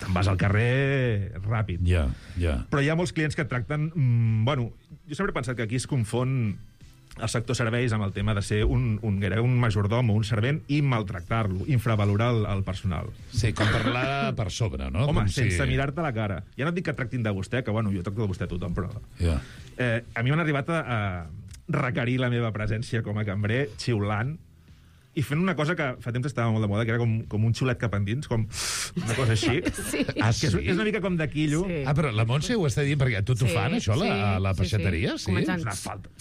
Speaker 11: te'n vas al carrer ràpid.
Speaker 7: Ja.
Speaker 11: Però hi ha molts clients que et tracten... Bueno, jo sempre he pensat que aquí es confon el sector serveis amb el tema de ser un majordom o un servent i maltractar-lo, infravalorar el personal.
Speaker 7: Sí, com parlar per sobre, no?
Speaker 11: Home, sense mirar-te la cara. Ja no et dic que et tractin de vostè, que bueno, jo tracto de vostè a tothom, però... A mi m'han arribat a requerir la meva presència com a cambrer xiulant i fent una cosa que fa temps estava molt de moda, que era com un xulet cap endins, com una cosa així.
Speaker 7: Sí.
Speaker 11: És una mica com de quillo.
Speaker 7: Sí. Però la Montse ho està dient perquè tu t'ho fan, això, a la peixateria? Sí.
Speaker 11: És una falta.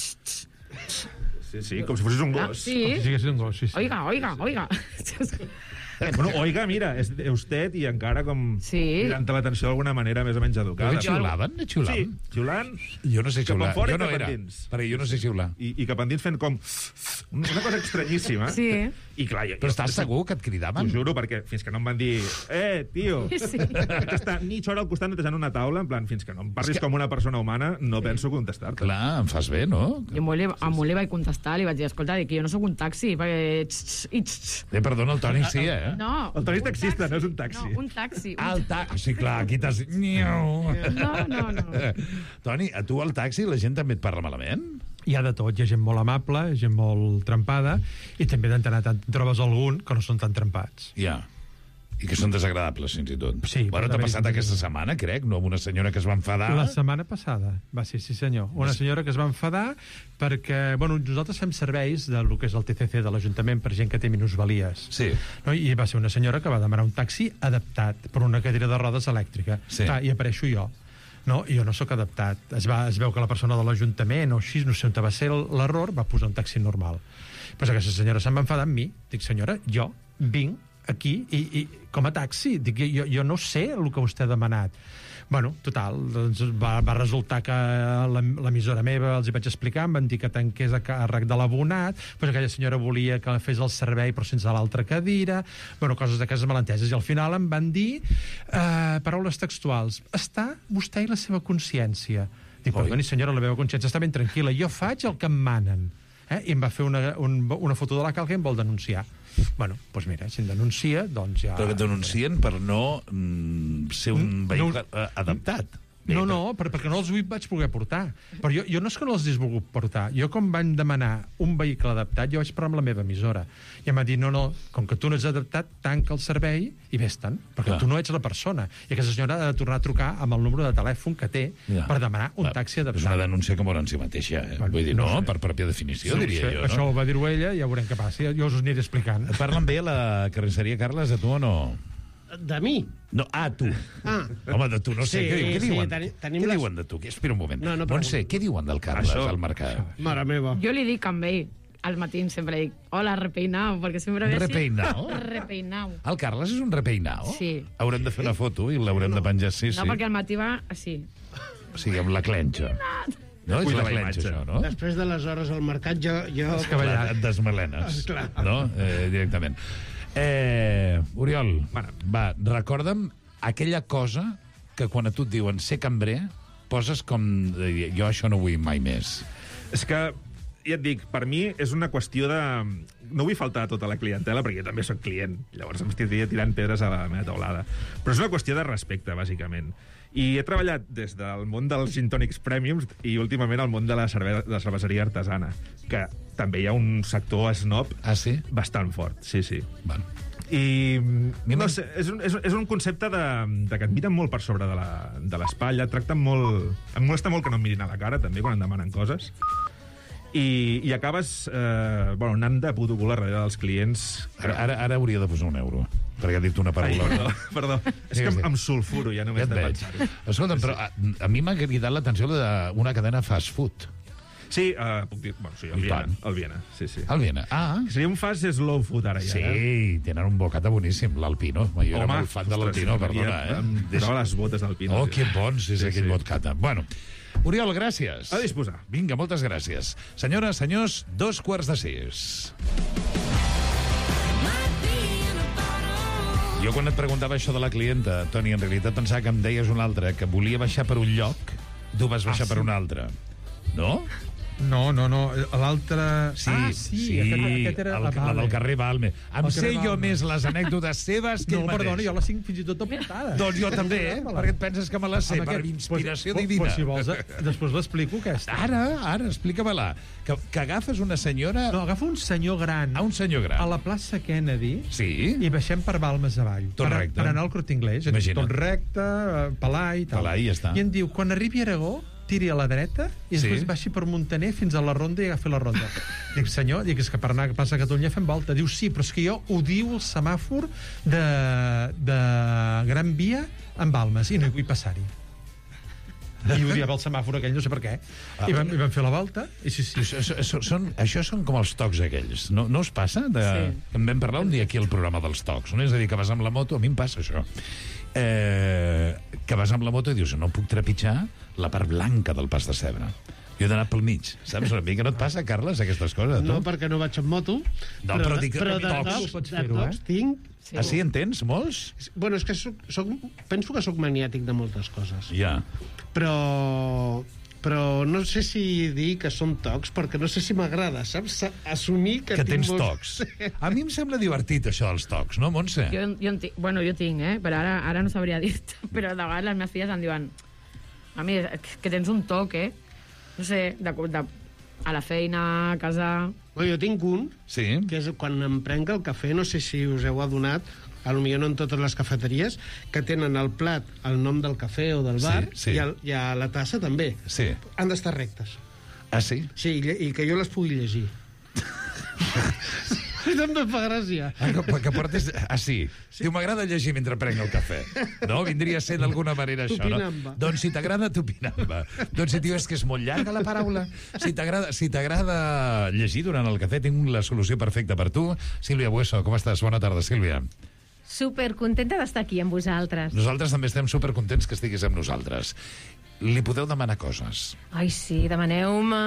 Speaker 11: Sí, com si fossis un gos.
Speaker 14: Sí. Com si siguessis un gos, sí.
Speaker 8: Oiga.
Speaker 11: Bueno, oiga, mira, és usted i encara com cridant l'atenció d'alguna manera més o menys educada.
Speaker 7: Però xiulaven?
Speaker 11: Sí, xiulant.
Speaker 7: Jo no sé xiular.
Speaker 11: Jo no era,
Speaker 7: perquè jo no sé xiular.
Speaker 11: I cap endins fent com... Una cosa estranyíssima.
Speaker 8: Sí.
Speaker 11: I clar,
Speaker 7: però estàs segur que et cridaven?
Speaker 11: T'ho juro, perquè fins que no em van dir tio, que està mitja hora al costat netejant una taula, en plan, fins que no em parlis com una persona humana, no penso contestar-te.
Speaker 7: Clar, em fas bé, no?
Speaker 8: Jo a molt li vaig contestar, li vaig dir, escolta, que jo no sóc un taxi, perquè...
Speaker 7: Perdona, el Toni sí,
Speaker 8: No.
Speaker 11: El Toni és taxista, no és un taxi.
Speaker 8: No, un taxi.
Speaker 7: Sí, clar, aquí t'has...
Speaker 8: No.
Speaker 7: Toni, a tu al taxi la gent també et parla malament?
Speaker 14: Hi ha de tot, hi ha gent molt amable, gent molt trempada, i també de tant en tant trobes algun que no són tan trempats.
Speaker 7: Ja. I que són desagradables, fins i tot.
Speaker 14: Sí.
Speaker 7: Bueno, t'ha passat aquesta setmana, crec, no? Amb una senyora que es va enfadar.
Speaker 14: La setmana passada, sí senyor. Una senyora que es va enfadar perquè, bueno, nosaltres fem serveis del que és el TCC de l'Ajuntament per gent que té minusvalies.
Speaker 7: Sí.
Speaker 14: No? I va ser una senyora que va demanar un taxi adaptat per una cadira de rodes elèctrica.
Speaker 7: Sí.
Speaker 14: I apareixo jo. No, jo no sóc adaptat. Es veu que la persona de l'Ajuntament o així, no sé on va ser l'error, va posar un taxi normal. Pues aquesta senyora se'n va enfadar amb mi. Dic, senyora, jo vinc aquí i com a taxi. Dic, jo no sé el que vostè ha demanat. Bueno, total, doncs va resultar que l'emissora meva els hi vaig explicar, em van dir que tanqués a càrrec de l'abonat, però aquella senyora volia que fes el servei però sense l'altra cadira, bueno, coses d'aquestes malenteses, i al final em van dir paraules textuals: està vostè i la seva consciència. Dic, perdoni senyora, la meva consciència està ben tranquil·la, jo faig el que em manen. I em va fer una foto de la cal que em vol denunciar. Bueno, doncs mira, si em denuncia, doncs ja...
Speaker 7: Però que denuncien per no ser un vehicle adaptat.
Speaker 14: No, perquè no els vaig poder portar. Però jo no és que no els hagués volgut portar. Jo, com van demanar un vehicle adaptat, jo vaig parlar amb la meva emissora. I em va dir, no, com que tu no ets adaptat, tanca el servei i vés-te'n, perquè tu no ets la persona. I aquesta senyora ha de tornar a trucar amb el número de telèfon que té per demanar un taxi adaptat.
Speaker 7: És una denúncia que mor en si mateixa. Vull dir, no, per pròpia definició, diria jo.
Speaker 14: Això ho va dir ella, ja veurem què passa. Jo us ho aniré explicant.
Speaker 7: Parlen bé a la carnisseria, Carles, de tu o no?
Speaker 9: De mi?
Speaker 7: No, tu. Home, de tu no sé. Què diuen? Què diuen de tu? Espera un moment. Montse, què diuen del Carles al mercat?
Speaker 9: Mare meva.
Speaker 8: Jo li dic amb ell. Al matí sempre dic, hola, repeinao, perquè sempre ve així.
Speaker 7: Repeinao?
Speaker 8: Repeinao.
Speaker 7: El Carles és un repeinao?
Speaker 8: Sí.
Speaker 7: Haurem de fer una foto i l'haurem de penjar, sí.
Speaker 8: No, perquè al matí va així.
Speaker 7: O sigui, amb la clenxa. No, és la clenxa, això, no?
Speaker 9: Després de les hores al mercat, jo...
Speaker 7: Et desmelenes, no? Directament. Oriol, va, recorda'm aquella cosa que quan a tu et diuen ser cambrer, poses com... Jo això no vull mai més.
Speaker 11: És que, ja et dic, per mi és una qüestió de... No vull faltar a tota la clientela, perquè jo també sóc client. Llavors em estiria tirant pedres a la meva taulada. Però és una qüestió de respecte, bàsicament. I he treballat des del món dels gin tònics premiums i últimament al món de la cerveseria artesana, que també hi ha un sector snob bastant fort, sí.
Speaker 7: Bueno.
Speaker 11: I no sé, és un concepte de que et miren molt per sobre de l'espatlla, et tracten molt... Em molesta molt que no em mirin a la cara, també, quan em demanen coses. I acabes anant de puto cul darrere dels clients.
Speaker 7: Ara hauria de posar €1, perquè ha dit una paraula.
Speaker 11: Perdó. És que em sulfuro, ja només de pensar-ho.
Speaker 7: Escolta'm, però a mi m'ha cridat l'atenció d'una cadena fast food.
Speaker 11: Sí, puc dir... Bueno, sí, el Viena. Sí.
Speaker 7: El Viena,
Speaker 11: Seria un fast slow food, ara ja.
Speaker 7: Sí, tenen un bocata boníssim, l'Alpino. Jo era molt fan de l'Alpino, perdona,
Speaker 11: Em posava les botes d'Alpino.
Speaker 7: Oh, que bons és aquell bocata. Bueno, Oriol, gràcies.
Speaker 11: A disposar.
Speaker 7: Vinga, moltes gràcies. Senyores, senyors, 5:45. Jo quan et preguntava això de la clienta, Toni, en realitat pensava que em deies un altre, que volia baixar per un lloc, tu vas baixar per un altre. No?
Speaker 14: No, l'altre...
Speaker 7: Sí, aquest era la del carrer Balme. Em sé jo més les anècdotes seves que ell mateix.
Speaker 14: No, perdona, jo les tinc fins i tot apuntades.
Speaker 7: Doncs jo també, perquè et penses que me les sé, per inspiració divina.
Speaker 14: Si vols, després l'explico, aquesta.
Speaker 7: Ara, explica-me-la. Que agafes una senyora...
Speaker 14: No, agafa un senyor gran.
Speaker 7: Un senyor gran.
Speaker 14: A la plaça Kennedy.
Speaker 7: Sí.
Speaker 14: I baixem per Balmes avall.
Speaker 7: Tot recte.
Speaker 14: Per anar al Corte Inglés. Tot recte, Palai i tal.
Speaker 7: Palai, ja està.
Speaker 14: I em diu, quan arribi a Aragó, tiri a la dreta i després baixi per Montaner fins a la Ronda i agafi la Ronda. Dic, senyor, és que per anar a Plaça Catalunya fem volta. Diu, sí, però és que jo odio el semàfor de Gran Via en Balmes i no hi vull passar-hi. I odiava el semàfor aquell, no sé per què. I vam fer la volta. I sí.
Speaker 7: Això són com els tocs aquells. No us passa? En vam parlar un dia aquí al programa dels tocs. És a dir, que vas amb la moto, a mi em passa això. Que vas amb la moto i dius, no puc trepitjar la part blanca del pas de Cebre. Jo he d'anar pel mig. Saps una mica? No et passa, Carles, aquestes coses?
Speaker 9: No, perquè no vaig amb moto.
Speaker 7: No, però dic
Speaker 9: que de tocs tinc...
Speaker 7: Ah, sí, en tens molts?
Speaker 9: Bueno, és que penso que sóc maniàtic de moltes coses.
Speaker 7: Ja.
Speaker 9: Però no sé si dir que són tocs, perquè no sé si m'agrada, saps? Assumir que
Speaker 7: tens tocs. A mi em sembla divertit, això dels tocs, no, Montse?
Speaker 8: Jo tinc, però ara no sabria dir-te. Però de vegades les meves filles em diuen mami, que tens un toc, no sé, a la feina, a casa...
Speaker 9: Jo tinc un, que és quan em prenc el cafè, no sé si us heu adonat, potser no en totes les cafeteries, que tenen al plat el nom del cafè o del bar, i a la tassa també.
Speaker 7: Sí.
Speaker 9: Han d'estar rectes.
Speaker 7: Ah, sí?
Speaker 9: Sí, i que jo les pugui llegir. També fa gràcia.
Speaker 7: Que portes... Ah, sí. Diu, m'agrada llegir mentre prenc el cafè. No? Vindria a ser d'alguna manera això, no? Doncs si t'agrada tupinamba. Doncs si dius que és molt llarga la paraula. Si t'agrada llegir durant el cafè, tinc la solució perfecta per tu. Sílvia Bueso, com estàs? Bona tarda, Sílvia.
Speaker 15: Supercontenta d'estar aquí amb vosaltres.
Speaker 7: Nosaltres també estem supercontents que estiguis amb nosaltres. Li podeu demanar coses.
Speaker 15: Ai, sí, demaneu-me.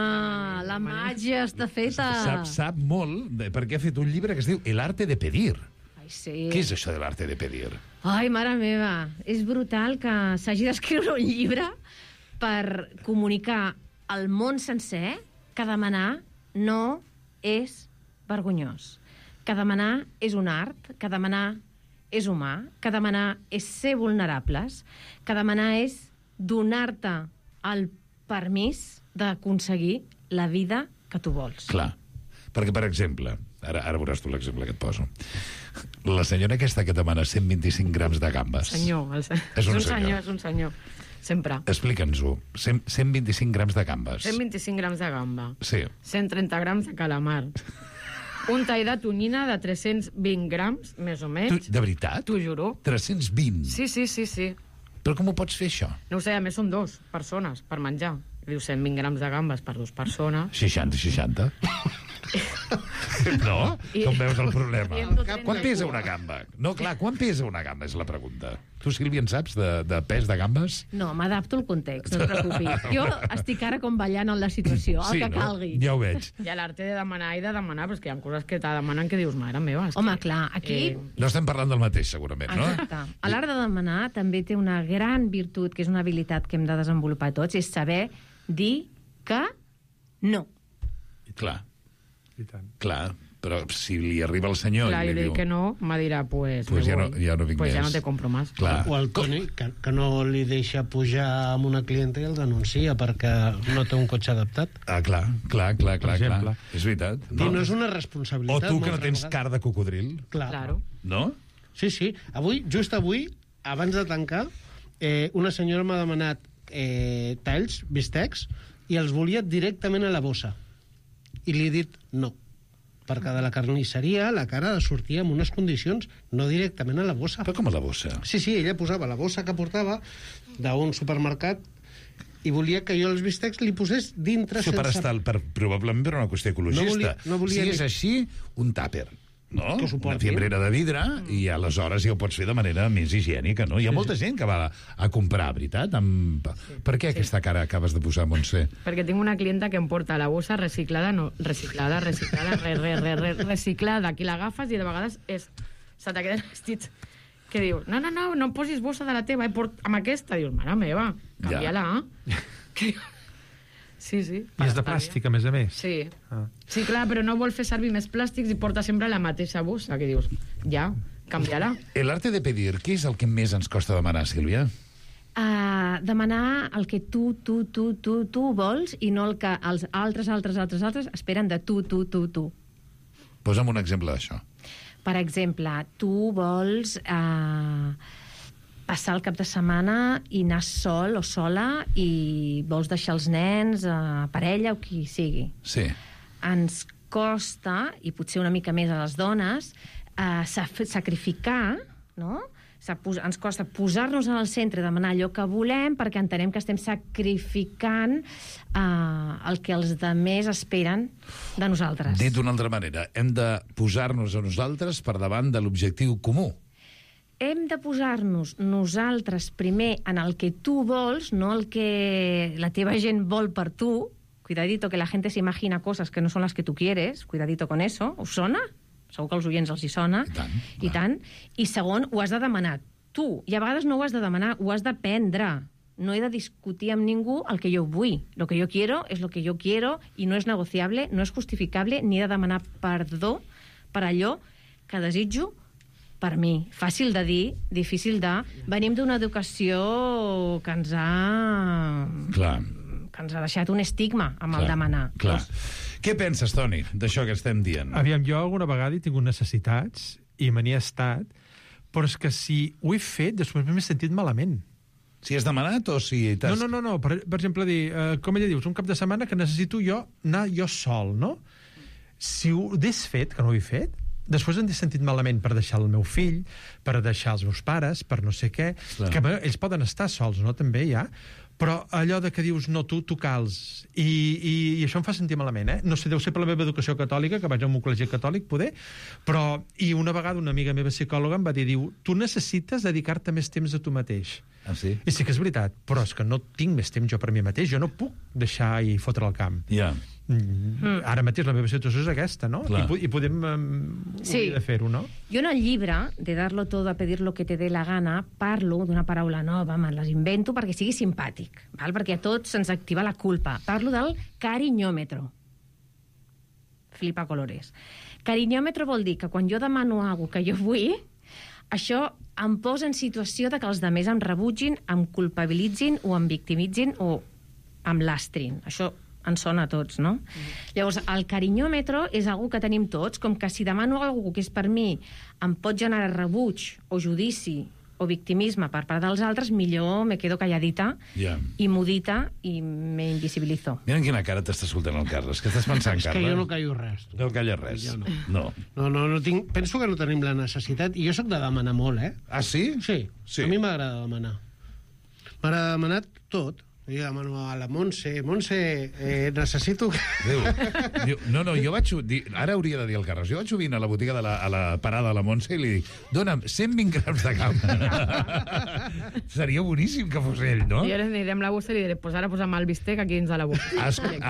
Speaker 15: La màgia està feta.
Speaker 7: Sap molt, perquè ha fet un llibre que es diu El arte de pedir.
Speaker 15: Ai, sí.
Speaker 7: Què és això de l'arte de pedir?
Speaker 15: Ai, mare meva, és brutal que s'hagi d'escriure un llibre per comunicar al món sencer que demanar no és vergonyós. Que demanar és un art, que demanar és humà, que demanar és ser vulnerables, que demanar és donar-te el permís d'aconseguir la vida que tu vols.
Speaker 7: Clar, perquè, per exemple, ara veuràs tu l'exemple que et poso. La senyora aquesta que demana 125 grams de gambes...
Speaker 8: És un senyor. Sempre.
Speaker 7: Explica'ns-ho. 125 grams de gambes.
Speaker 8: 125 grams de gamba.
Speaker 7: Sí.
Speaker 8: 130 grams de calamar. Un tall de tonyina de 320 grams, més o menys.
Speaker 7: De veritat?
Speaker 8: T'ho juro.
Speaker 7: 320?
Speaker 8: Sí.
Speaker 7: Però com ho pots fer, això?
Speaker 8: No ho sé, a més són 2 persones per menjar. Diu 120 grams de gambes per 2 persones.
Speaker 7: 60. No? Com veus el problema?
Speaker 15: I hem dut
Speaker 7: Quan pesa una gamba? No, clar, quan pesa una gamba és la pregunta. Tu, Sílvia, en saps de pes de gambes?
Speaker 15: No, m'adapto al context, no et preocupis. Jo estic ara com ballant en la situació, el que calgui.
Speaker 7: Ja ho veig.
Speaker 8: Hi ha l'arte de demanar i de demanar, però és que hi ha coses que te demanen que dius, mare meva...
Speaker 15: Home, clar, aquí...
Speaker 7: No estem parlant del mateix, segurament, no?
Speaker 15: Exacte. A l'art de demanar també té una gran virtut, que és una habilitat que hem de desenvolupar tots, és saber dir que no.
Speaker 7: Clar. Clar, però si li arriba el senyor...
Speaker 8: Clar,
Speaker 7: i
Speaker 8: li
Speaker 7: li
Speaker 8: dic
Speaker 7: diu...
Speaker 8: que no, me dirà, pues
Speaker 7: ja no vinc
Speaker 8: pues ja
Speaker 7: més.
Speaker 8: no te compro más.
Speaker 7: Clar.
Speaker 9: O el Toni, que no li deixa pujar amb una clienta i el denuncia perquè no té un cotxe adaptat.
Speaker 7: Ah, clar. És veritat.
Speaker 9: I no és una responsabilitat.
Speaker 7: O tu que no
Speaker 9: moltes
Speaker 7: tens
Speaker 9: vegades.
Speaker 7: car de cocodril.
Speaker 15: Claro.
Speaker 7: No?
Speaker 9: Sí, sí. Just avui, abans de tancar, una senyora m'ha demanat talls, bistecs, i els volia directament a la bossa. I li he dit no. Perquè de la carnisseria la cara sortia en unes condicions no directament a la bossa.
Speaker 7: Però com a la bossa?
Speaker 9: Sí, ella posava la bossa que portava d'un supermercat i volia que jo els bistecs li posés dintre
Speaker 7: Això probablement per una qüestió ecologista.
Speaker 9: No volia
Speaker 7: si és així, un tàper. No?
Speaker 9: Que s'ho
Speaker 7: Una
Speaker 9: porti.
Speaker 7: fiambrera de vidre i aleshores ja ho pots fer de manera més higiènica, no? Hi ha molta gent que va a comprar, veritat? Per què aquesta cara acabes de posar, Montse?
Speaker 8: Perquè tinc una clienta que em porta la bossa reciclada, reciclada, que l'agafes i de vegades se te queden vestits que dius, no em posis bossa de la teva, amb aquesta. Dius, mare meva, canvia-la. Sí.
Speaker 14: I és de plàstic, a més a més.
Speaker 8: Sí. Sí, clar, però no vol fer servir més plàstics i porta sempre la mateixa bossa, que dius, ja, canvia-la.
Speaker 7: El arte de pedir, què és el que més ens costa demanar, Sílvia?
Speaker 15: Demanar el que tu vols i no el que els altres esperen de tu.
Speaker 7: Posa'm un exemple d'això.
Speaker 15: Per exemple, tu vols passar el cap de setmana i anar sol o sola i vols deixar els nens, parella o qui sigui.
Speaker 7: Sí.
Speaker 15: Ens costa, i potser una mica més a les dones, sacrificar, no? Ens costa posar-nos en el centre, demanar allò que volem, perquè entenem que estem sacrificant el que els altres esperen de nosaltres.
Speaker 7: Dit d'una altra manera, hem de posar-nos a nosaltres per davant de l'objectiu comú.
Speaker 15: Hem de posar-nos nosaltres primer en el que tu vols, no el que la teva gent vol per tu. Cuidadito, que la gente se imagina cosas que no son las que tú quieres. Cuidadito con eso. Us sona? Segur que als oients els hi sona. I tant. I segon, ho has de demanar tu. I a vegades no ho has de demanar, ho has d'aprendre. No he de discutir amb ningú el que jo vull. Lo que yo quiero es lo que yo quiero y no es negociable, no es justificable, ni he de demanar perdó per allò que desitjo per mi. Fàcil de dir, difícil de... Venim d'una educació que ens ha...
Speaker 7: Clar.
Speaker 15: Que ens ha deixat un estigma amb el demanar.
Speaker 7: Clar. Què penses, Toni, d'això que estem dient?
Speaker 14: Aviam, jo alguna vegada he tingut necessitats i me n'hi he estat, però és que si ho he fet, després m'he sentit malament.
Speaker 7: Si has demanat o si...
Speaker 14: No. Per exemple, dir, com ella dius, un cap de setmana que necessito jo anar jo sol, no? Si ho hagués fet, que no ho he fet, després em he sentit malament per deixar el meu fill, per deixar els meus pares, per no sé què, que ells poden estar sols, no? També ja. Però allò de que dius, no, tu cals. I això em fa sentir malament, eh? No sé, deu ser per la meva educació catòlica, que vaig a un col·legi catòlic, poder, però... I una vegada una amiga meva psicòloga em va dir, tu necessites dedicar-te més temps a tu mateix.
Speaker 7: Ah, sí?
Speaker 14: I sí que és veritat, però és que no tinc més temps jo per mi mateix, jo no puc deixar i fotre el camp.
Speaker 7: Ja.
Speaker 14: Ara mateix la meva situació és aquesta, no? I podem
Speaker 15: sí.
Speaker 14: de fer-ho, no?
Speaker 15: Jo en el llibre, de darlo todo a pedir lo que te dé la gana, parlo d'una paraula nova, me les invento perquè sigui simpàtic, val? Perquè a tots se'ns activa la culpa. Parlo del cariñòmetro. Flipa colores. Cariñòmetro vol dir que quan jo demano alguna que jo vull, això em posa en situació de que els altres em rebutgin, em culpabilitzin o em victimitzin o em lastrin. Això ens sona a tots, no? Llavors, el cariñòmetre és algo que tenim tots, com que si demano algo que és per mi em pot generar rebuig o judici o victimisme per part dels altres, millor me quedo calladita i mudita i me invisibilizo.
Speaker 7: Mira en quina cara t'està escoltant el Carles. Què estàs pensant, Carles?
Speaker 9: És que jo no callo res.
Speaker 7: No calles res?
Speaker 9: No. No tinc... Penso que no tenim la necessitat, i jo sóc de demanar molt, eh?
Speaker 7: Ah, sí?
Speaker 9: Sí. A mi m'agrada demanar. M'agrada demanar tot. Jo demano a la Montse, necessito...
Speaker 7: Diu, no, jo vaig... Ara hauria de dir el Carles. Jo vaig sovint a la botiga a la parada de la Montse i li dic, dona'm 120 grams de gamba. Seria boníssim que fos ell, no?
Speaker 8: I ara anirem a la bossa i li diré, pues ara posa'm el bistec aquí dins de la bossa.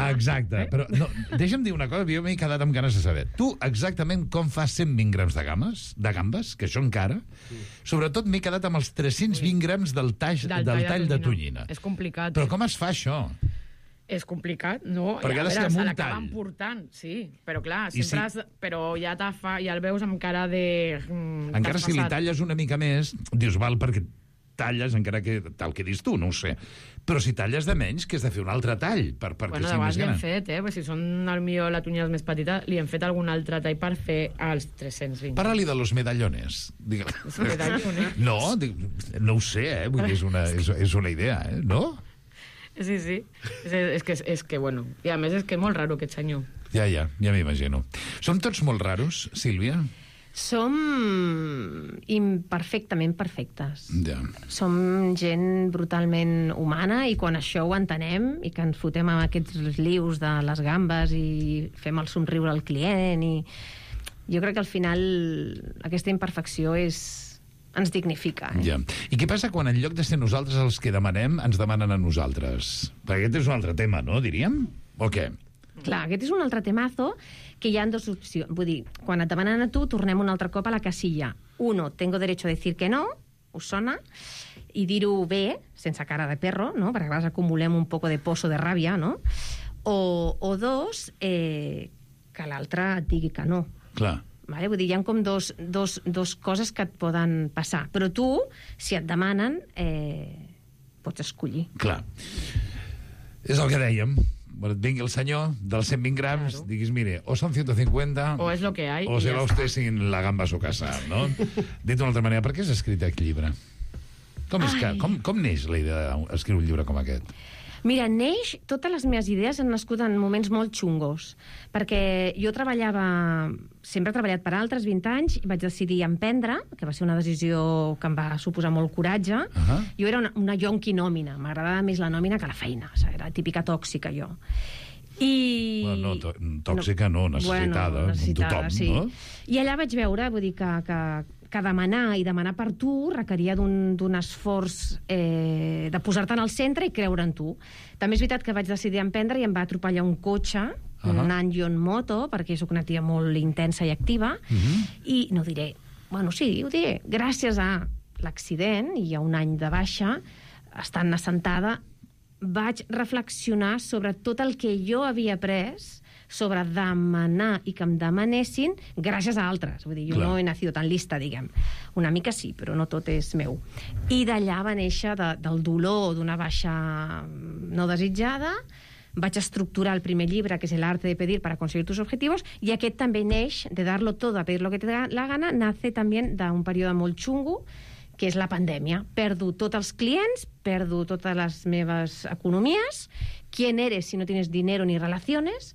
Speaker 7: Exacte. Però no, deixa'm dir una cosa, jo m'he quedat amb ganes de saber. Tu exactament com fas 120 grams de gambes, que això encara... Sobretot m'he quedat amb els 320 grams del tall de tonyina.
Speaker 8: És complicat.
Speaker 7: Però com es fa això?
Speaker 8: És complicat, no?
Speaker 7: Perquè
Speaker 8: a
Speaker 7: se
Speaker 8: l'acaben portant, sí. Però clar, sempre però ja el veus amb cara de...
Speaker 7: Encara si li talles una mica més, dius, val, perquè talles, encara que tal que dis tu, no ho sé. Però si talles de menys, que has de fer un altre tall perquè
Speaker 8: bueno,
Speaker 7: sigui més gran.
Speaker 8: Li hem fet, Pues si són potser la tonyina més petita, li hem fet algun altre tall per fer els 320.
Speaker 7: Parla-li de los medallones.
Speaker 8: Els medallones?
Speaker 7: No, no ho sé, vull dir, és una idea, no?
Speaker 8: Sí. És que, bueno... I a més és que és molt raro aquest senyor.
Speaker 7: Ja m'imagino. Som tots molt raros, Sílvia?
Speaker 15: Som imperfectament perfectes.
Speaker 7: Ja.
Speaker 15: Som gent brutalment humana i quan això ho entenem i que ens fotem amb aquests lius de les gambes i fem el somriure al client i jo crec que al final aquesta imperfecció ens dignifica.
Speaker 7: Ja. I què passa quan en lloc de ser nosaltres els que demanem, ens demanen a nosaltres? Perquè aquest és un altre tema, no, diríem? O què?
Speaker 15: Clar, aquest és un altre temazo que hi ha dues opcions. Vull dir, quan et demanen a tu, tornem un altre cop a la casilla. Uno, tengo derecho a decir que no, us sona? I dir-ho bé, sense cara de perro, no? Perquè a vegades acumulem un poco de pozo de ràbia, no? O dos, que l'altre et digui que no.
Speaker 7: Clar.
Speaker 15: Vale? Vull dir, hi ha com dos coses que et poden passar. Però tu, si et demanen, pots escollir.
Speaker 7: Clar. És el que dèiem. Bueno, et vingui el senyor dels 120 grams, claro. Diguis, mire, o son 150...
Speaker 8: O és lo que hay.
Speaker 7: O se va usted sin la gamba a su casa, no? Dit d'una altra manera, per què has escrit aquest llibre? Com neix la idea d'escriure un llibre com aquest?
Speaker 15: Mira, totes les meves idees han nascut en moments molt xungos, perquè jo sempre he treballat per altres 20 anys, i vaig decidir emprendre, que va ser una decisió que em va suposar molt coratge. Jo era una yonqui nòmina, m'agradava més la nòmina que la feina, era típica tòxica jo.
Speaker 7: Bueno, tòxica no, necessitada, tothom,
Speaker 15: sí.
Speaker 7: No?
Speaker 15: I allà vaig veure, vull dir que demanar per tu requeria d'un esforç de posar-te en el centre i creure en tu. També és veritat que vaig decidir emprendre i em va atropellar un cotxe, anant jo en moto, perquè soc una tia molt intensa i activa, i no diré, bueno, sí, ho diré, gràcies a l'accident i a un any de baixa, estant assentada, vaig reflexionar sobre tot el que jo havia après sobre demanar i que em demanessin gràcies a altres. Vull dir, jo no he nacido tan lista, diguem. Una mica sí, però no tot és meu. I d'allà va néixer del dolor d'una baixa no desitjada. Vaig estructurar el primer llibre, que és El arte de pedir para conseguir tus objetivos, i aquest també neix de darlo todo a pedir lo que te da la gana, nace també d'un període molt xungo, que és la pandèmia. Perdo tots els clients, perdo totes les meves economies. ¿Quién eres si no tienes dinero ni relaciones?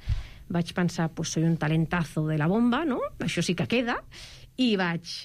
Speaker 15: Vaig pensar, pues soy un talentazo de la bomba, no? Això sí que queda. I vaig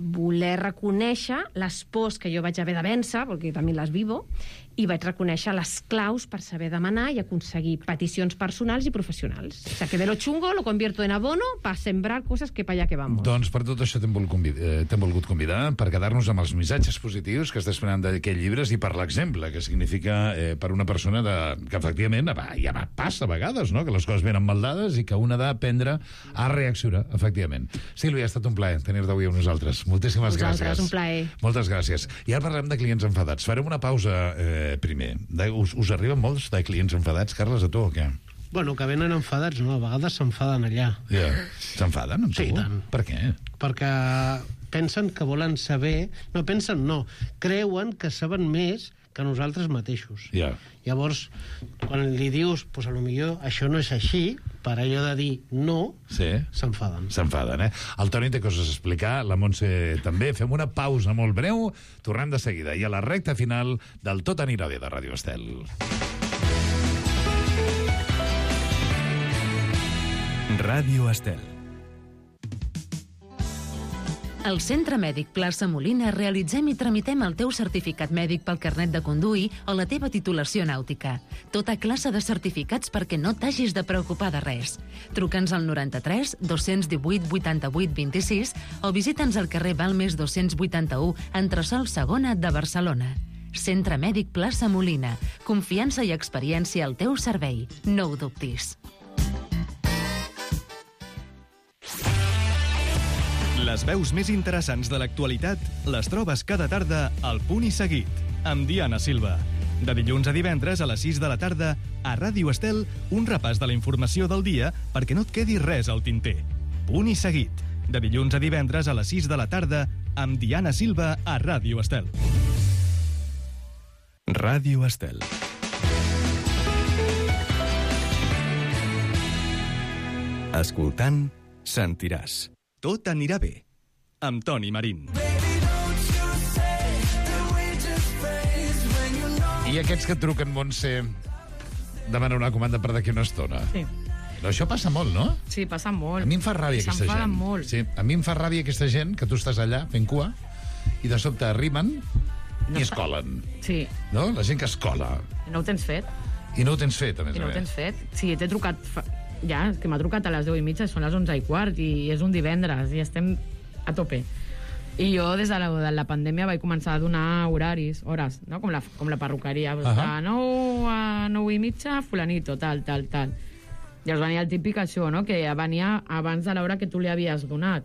Speaker 15: voler reconèixer les pors que jo vaig haver de vèncer, perquè també les vivo, i vaig reconèixer les claus per saber demanar i aconseguir peticions personals i professionals. O sea, que de lo chungo lo convierto en abono para sembrar cosas que para allá que vamos.
Speaker 7: Doncs per tot això t'hem volgut convidar per quedar-nos amb els missatges positius que estàs esperant d'aquests llibres i per l'exemple que significa per una persona que efectivament ja passa a vegades, no? Que les coses venen mal dades i que una ha d'aprendre a reaccionar, efectivament. Sílvia, ha estat un plaer tenir-te avui amb nosaltres. Moltíssimes gràcies.
Speaker 15: Un plaer.
Speaker 7: Moltes gràcies. I ara parlem de clients enfadats. Farem una pausa primer. Us arriben molts de clients enfadats, Carles, a tu o què?
Speaker 9: Bueno, que venen enfadats, no, a vegades s'enfaden allà.
Speaker 7: Ja. S'enfaden amb tu?
Speaker 9: Sí, tant.
Speaker 7: Per què?
Speaker 9: Perquè pensen que volen saber... No, creuen que saben més que nosaltres mateixos.
Speaker 7: Ja.
Speaker 9: Llavors, quan li dius, pues a lo millor això no és així, per allò de dir no, s'enfaden.
Speaker 7: S'enfaden, El Toni té coses a explicar, la Montse també. Fem una pausa molt breu, tornem de seguida. I a la recta final del Tot anirà bé de Ràdio Estel.
Speaker 1: Ràdio Estel.
Speaker 6: Al Centre Mèdic Plaça Molina realitzem i tramitem el teu certificat mèdic pel carnet de conduir o la teva titulació nàutica. Tota classe de certificats perquè no t'hagis de preocupar de res. Truca'ns al 93 218 88 26 o visita'ns al carrer Balmes 281, entresòl Segona de Barcelona. Centre Mèdic Plaça Molina. Confiança i experiència al teu servei. No ho dubtis.
Speaker 1: Les veus més interessants de l'actualitat les trobes cada tarda al Punt i Seguit, amb Diana Silva. De dilluns a divendres a les 6 de la tarda, a Ràdio Estel, un repàs de la informació del dia perquè no et quedi res al tinter. Punt i Seguit. De dilluns a divendres a les 6 de la tarda, amb Diana Silva a Ràdio Estel. Ràdio Estel. Escoltant, sentiràs. Tot anirà bé, amb Toni Marín.
Speaker 7: I aquests que et truquen, Montse, demanen una comanda per d'aquí una estona.
Speaker 8: Sí.
Speaker 7: Però això passa molt, no?
Speaker 8: Sí, passa molt.
Speaker 7: A mi em fa ràbia aquesta gent.
Speaker 8: S'enfaden molt.
Speaker 7: Sí, a mi em fa ràbia aquesta gent que tu estàs allà fent cua i de sobte arriben i es colen.
Speaker 8: Sí.
Speaker 7: No? La gent que es cola.
Speaker 8: No ho tens fet.
Speaker 7: I no ho tens fet, a més
Speaker 8: I
Speaker 7: a
Speaker 8: no ho
Speaker 7: més.
Speaker 8: tens fet. Sí, t'he trucat... Ja, que m'ha trucat a les 10:30, són les 11:15 i és un divendres i estem a tope. I jo, des de la pandèmia, vaig començar a donar horaris, hores, no? com la perruqueria. De 9 a 9:30, fulanito, tal. Llavors venia el típic això, no? Que venia abans de l'hora que tu li havies donat.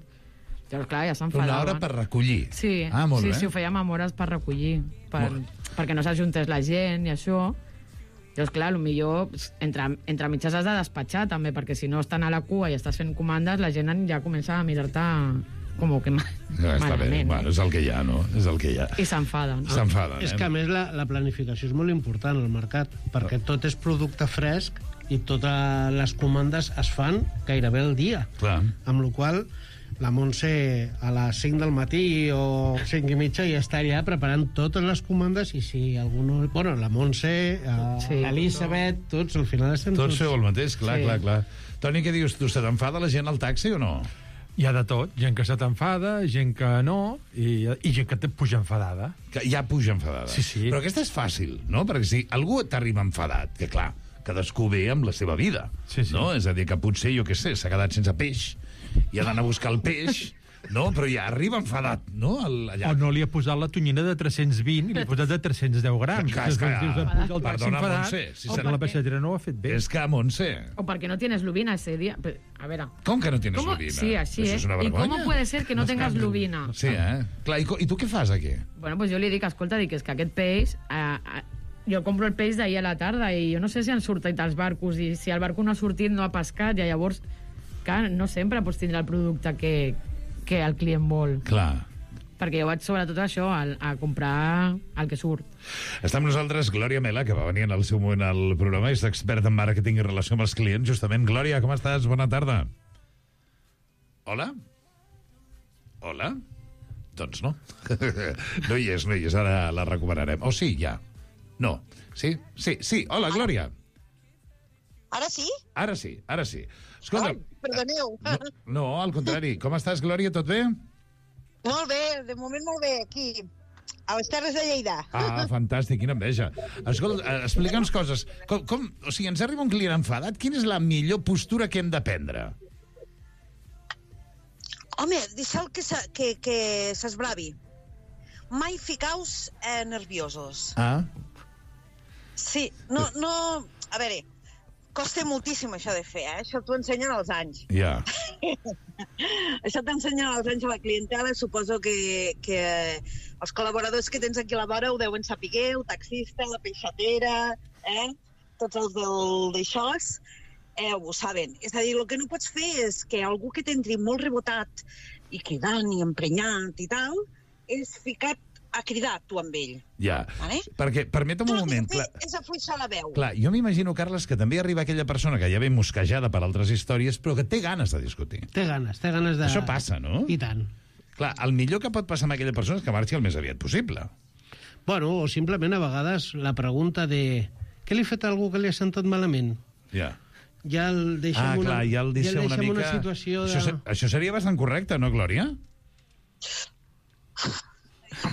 Speaker 8: Llavors, clar, ja s'enfadaven.
Speaker 7: Una hora per recollir.
Speaker 8: Sí,
Speaker 7: molt bé.
Speaker 8: sí, ho fèiem amb hores per recollir, perquè no s'ajuntés la gent i això. Llavors, clar, potser entre mitges has de despatxar, també, perquè si no estan a la cua i estàs fent comandes, la gent ja comença a mirar-te com que
Speaker 7: Està bé, bueno, és el que hi ha, no? És el que hi ha.
Speaker 8: I s'enfaden.
Speaker 7: S'enfaden,
Speaker 9: És que, a més, la planificació és molt important al mercat, perquè tot és producte fresc i totes les comandes es fan gairebé el dia.
Speaker 7: Clar.
Speaker 9: Amb la qual cosa, la Montse a les 5 del matí o 5:30 ja està allà preparant totes les comandes i si algú no... Bueno, la Montse, l'Elisabet, tots, al final estem tots...
Speaker 7: Tots feu el mateix, clar. Toni, què dius tu? Se t'enfada la gent al taxi o no?
Speaker 14: Hi ha de tot. Gent que se t'enfada, gent que no, i gent que et puja enfadada.
Speaker 7: Que ja puja enfadada.
Speaker 14: Sí.
Speaker 7: Però aquesta és fàcil, no? Perquè si algú t'arriba enfadat, que clar, cadascú ve amb la seva vida, no? És a dir, que potser, jo què sé, s'ha quedat sense peix i ha d'anar a buscar el peix, no? Però ja arriba enfadat, no? Allà.
Speaker 14: O no li ha posat la tonyina de 320 i li ha posat de 310 grams.
Speaker 7: Perdona, Montse.
Speaker 14: La peixatera no ho ha fet bé.
Speaker 7: És que, Montse...
Speaker 8: O perquè no tienes lubina ese día. A ver...
Speaker 7: Com que no tienes lubina?
Speaker 8: Sí, así es. ¿Y cómo puede ser que no tengas lubina?
Speaker 7: Sí, Clar, i tu què fas aquí?
Speaker 8: Bueno, pues jo li dic, escolta, és que aquest peix... jo compro el peix d'ahir a la tarda i jo no sé si han sortit els barcos i si el barco no ha sortit, no ha pescat, i llavors, clar, no sempre pots tindre el producte que el client vol.
Speaker 7: Clar.
Speaker 8: Perquè jo vaig sobretot això, a comprar el que surt.
Speaker 7: Està amb nosaltres Glòria Mela, que va venir en el seu moment al programa, és experta en màrqueting i relació amb els clients, justament. Glòria, com estàs? Bona tarda. Hola? Hola? Doncs no. No hi és, ara la recuperarem. O sí, ja. No. Sí. Hola, Glòria.
Speaker 16: Ara sí?
Speaker 7: Ara sí. Escolta...
Speaker 16: Ai, perdoneu.
Speaker 7: No, al contrari. Com estàs, Glòria? Tot bé?
Speaker 16: Molt bé, de moment molt bé, aquí, a les Terres de Lleida.
Speaker 7: Fantàstic, quina enveja. Escolta, explica'ns coses. O sigui, ens arriba un client enfadat, quina és la millor postura que hem de prendre?
Speaker 16: Home, deixeu que s'esbravi. Mai ficaus nerviosos. Sí, no... A veure, costa moltíssim això de fer, Això t'ho ensenyen als anys.
Speaker 7: Ja.
Speaker 16: Això t'ensenyen als anys a la clientela. Suposo que els col·laboradors que tens aquí a la vora ho deuen saber, el taxista, la peixatera, tots els d'això, ho saben. És a dir, el que no pots fer és que algú que t'entri molt rebotat i cridant i emprenyat i tal, és ficat a cridar tu amb ell.
Speaker 7: Ja, perquè, permetem un moment...
Speaker 16: És afluixar la veu.
Speaker 7: Clar, jo m'imagino, Carles, que també arriba aquella persona que ja ve mosquejada per altres històries, però que té ganes de discutir.
Speaker 9: Té ganes de...
Speaker 7: Això passa, no?
Speaker 9: I tant.
Speaker 7: Clar, el millor que pot passar amb aquella persona és que marxi el més aviat possible.
Speaker 9: Bueno, o simplement a vegades la pregunta de... Què li ha fet a algú que li ha sentat malament?
Speaker 7: Ja.
Speaker 9: Ja el deixem
Speaker 7: ja el deixa una mica...
Speaker 9: una situació de...
Speaker 7: Això seria bastant correcte, no, Glòria?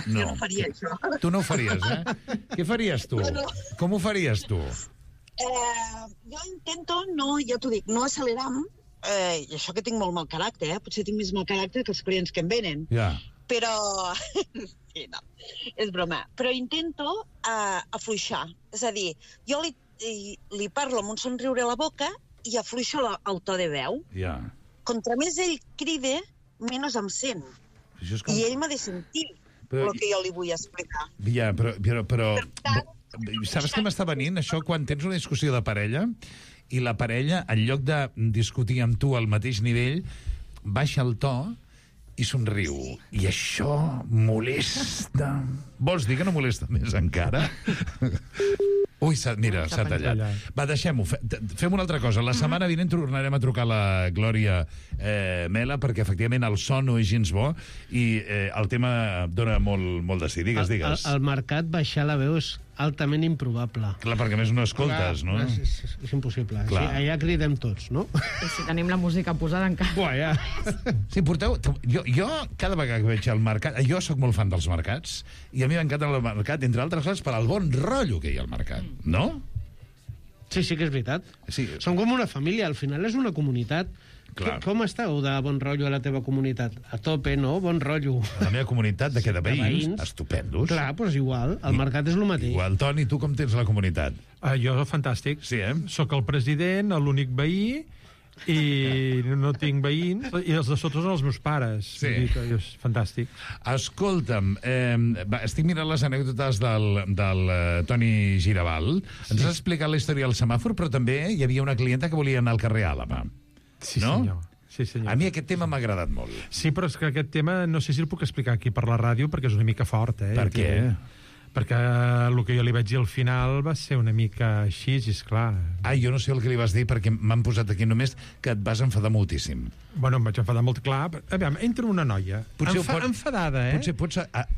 Speaker 7: No.
Speaker 16: Jo no faria això.
Speaker 7: Tu no ho faries, Què faries tu? Com ho faries tu?
Speaker 16: Jo intento, ja t'ho dic, no accelerar-me, i això que tinc molt mal caràcter, potser tinc més mal caràcter que els clients que em venen.
Speaker 7: Ja.
Speaker 16: Però... sí, no, és broma. Però intento afluixar. És a dir, jo li parlo amb un somriure a la boca i afluixo el to de veu.
Speaker 7: Ja.
Speaker 16: Contra més ell cride, menys em sent. I ell m'ha de sentir el que jo li vull explicar.
Speaker 7: Ja, però saps què m'està venint, això, quan tens una discussió de parella i la parella, en lloc de discutir amb tu al mateix nivell, baixa el to i somriu. I això molesta. Vols dir que no molesta més encara? Ui, mira, s'ha tallat. Va, deixem-ho. Fem una altra cosa. La setmana vinent tornarem a trucar la Glòria Mela, perquè efectivament el so no és gens bo i el tema dona molt de sí. Digues.
Speaker 9: El mercat baixar la veu és altament improbable.
Speaker 7: Clar, perquè més no escoltes, no?
Speaker 9: És impossible. Sí, allà cridem tots, no?
Speaker 8: I si tenim la música posada encara.
Speaker 9: Buah, ja.
Speaker 7: Sí, porteu... Jo, cada vegada que veig el mercat... Jo sóc molt fan dels mercats, i a mi m'encanta el mercat, entre altres coses, per al bon rotllo que hi ha al mercat, no?
Speaker 9: Sí, que és veritat.
Speaker 7: Sí.
Speaker 9: Som com una família, al final és una comunitat.
Speaker 7: Clar.
Speaker 9: Com esteu de bon rotllo a la teva comunitat? A tope, no? Bon rotllo.
Speaker 7: A la meva comunitat, de veïns? Estupendos.
Speaker 9: Clar, doncs igual. El mercat és el mateix.
Speaker 7: Igual. Toni, tu com tens la comunitat?
Speaker 14: Jo, fantàstic.
Speaker 7: Sí,
Speaker 14: Soc el president, l'únic veí, i no tinc veïns, i els de sota són els meus pares.
Speaker 7: Sí.
Speaker 14: És fantàstic.
Speaker 7: Escolta'm, estic mirant les anècdotes del Toni Giraval. Ens has explicat la història del semàfor, però també hi havia una clienta que volia anar al carrer Àlaba.
Speaker 14: Sí,
Speaker 7: no?
Speaker 14: senyor. Sí, senyor.
Speaker 7: A mi aquest tema m'ha agradat molt.
Speaker 14: Sí, però és que aquest tema no sé si el puc explicar aquí per la ràdio, perquè és una mica fort,
Speaker 7: Per què?
Speaker 14: Perquè el que jo li vaig dir al final va ser una mica així, esclar.
Speaker 7: Jo no sé el que li vas dir, perquè m'han posat aquí només que et vas enfadar moltíssim.
Speaker 14: Bueno, em vaig enfadar molt, clar. Aviam, entra una noia enfadada,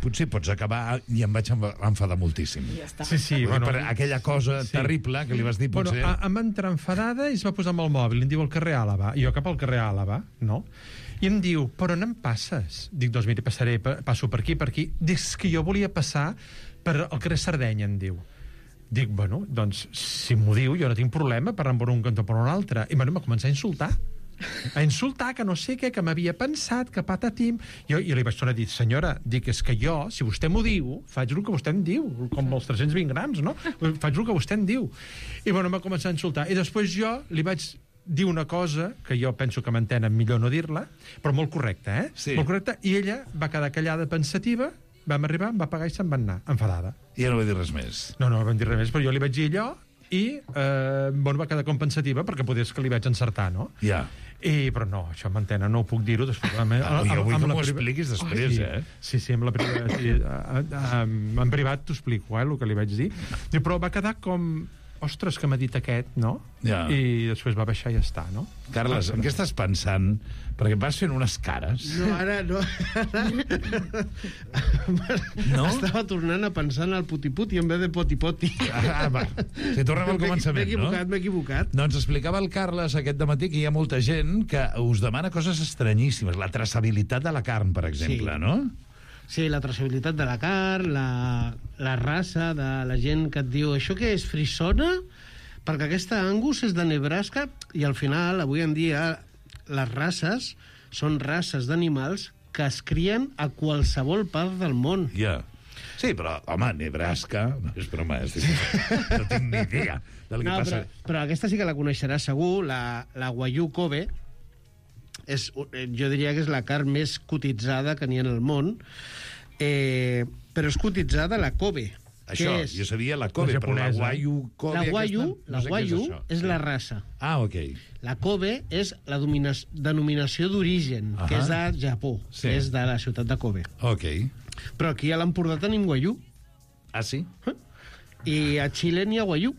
Speaker 7: Potser pots acabar i em vaig enfadar moltíssim.
Speaker 8: Ja està.
Speaker 14: Sí, bueno.
Speaker 7: Per aquella cosa terrible que li vas dir, potser...
Speaker 14: Bueno, em va entrar enfadada i es va posar amb el mòbil. Em diu el carrer Àlaba. I jo cap al carrer Àlaba, no? I em diu, però on em passes? Dic, doncs mira, passo per aquí. Dic, que jo volia passar per al carrer Sardenya, em diu. Dic, bueno, doncs, si m'ho diu, jo no tinc problema per anar per un cantó o per un altre. I bueno, m'ha començat a insultar, que no sé què, que m'havia pensat, que patatim. Jo li vaig tornar a dir, senyora, dic, és que jo, si vostè m'ho diu, faig el que vostè em diu, com els 320 grams, no? Faig el que vostè em diu. I bueno, m'ha començat a insultar. I després jo li vaig dir una cosa, que jo penso que m'entenen millor no dir-la, però molt correcta,
Speaker 7: Sí.
Speaker 14: Molt correcta, i ella va quedar callada pensativa, vam arribar, em va pagar i se'n va anar, enfadada.
Speaker 7: I ja no va dir res més.
Speaker 14: No vam dir res més, però jo li vaig dir allò i va quedar com pensativa perquè podés que li vaig encertar, no?
Speaker 7: Ja.
Speaker 14: Però no, això m'entenen, no ho puc dir-ho després.
Speaker 7: Jo vull que m'ho expliquis després,
Speaker 14: Sí, en privat t'ho explico, el que li vaig dir. Però va quedar com... Ostres, que m'ha dit aquest, no?
Speaker 7: Ja.
Speaker 14: I després va baixar i ja està, no?
Speaker 7: Carles, en què estàs pensant? Perquè vas fent unes cares.
Speaker 9: No, ara no.
Speaker 7: No?
Speaker 9: Estava tornant a pensar en el puti-puti en vez de poti-poti.
Speaker 7: Va. Si tornem al començament,
Speaker 9: M'he equivocat.
Speaker 7: No, ens explicava el Carles aquest dematí que hi ha molta gent que us demana coses estranyíssimes. La traçabilitat de la carn, per exemple, no?
Speaker 9: Sí, la traçabilitat de la carn, la raça de la gent que et diu això que és frisona? Perquè aquesta Angus és de Nebraska i al final, avui en dia, les races són races d'animals que es crien a qualsevol part del món.
Speaker 7: Ja. Sí, però, home, Nebraska... No és broma, no tinc ni idea del que passa.
Speaker 9: Però aquesta sí que la coneixeràs segur, la Wagyu Kobe, jo diria que és la carn més cotitzada que n'hi ha en el món, però és cotitzada la Kobe.
Speaker 7: Això, jo sabia la Kobe, però la Wagyu Kobe...
Speaker 9: La Wagyu és la raça.
Speaker 7: Ok.
Speaker 9: La Kobe és la denominació d'origen, que és de Japó, que és de la ciutat de Kobe.
Speaker 7: Ok.
Speaker 9: Però aquí a l'Empordà tenim Wagyu.
Speaker 7: Ah, sí?
Speaker 9: I a Xile n'hi ha Wagyu.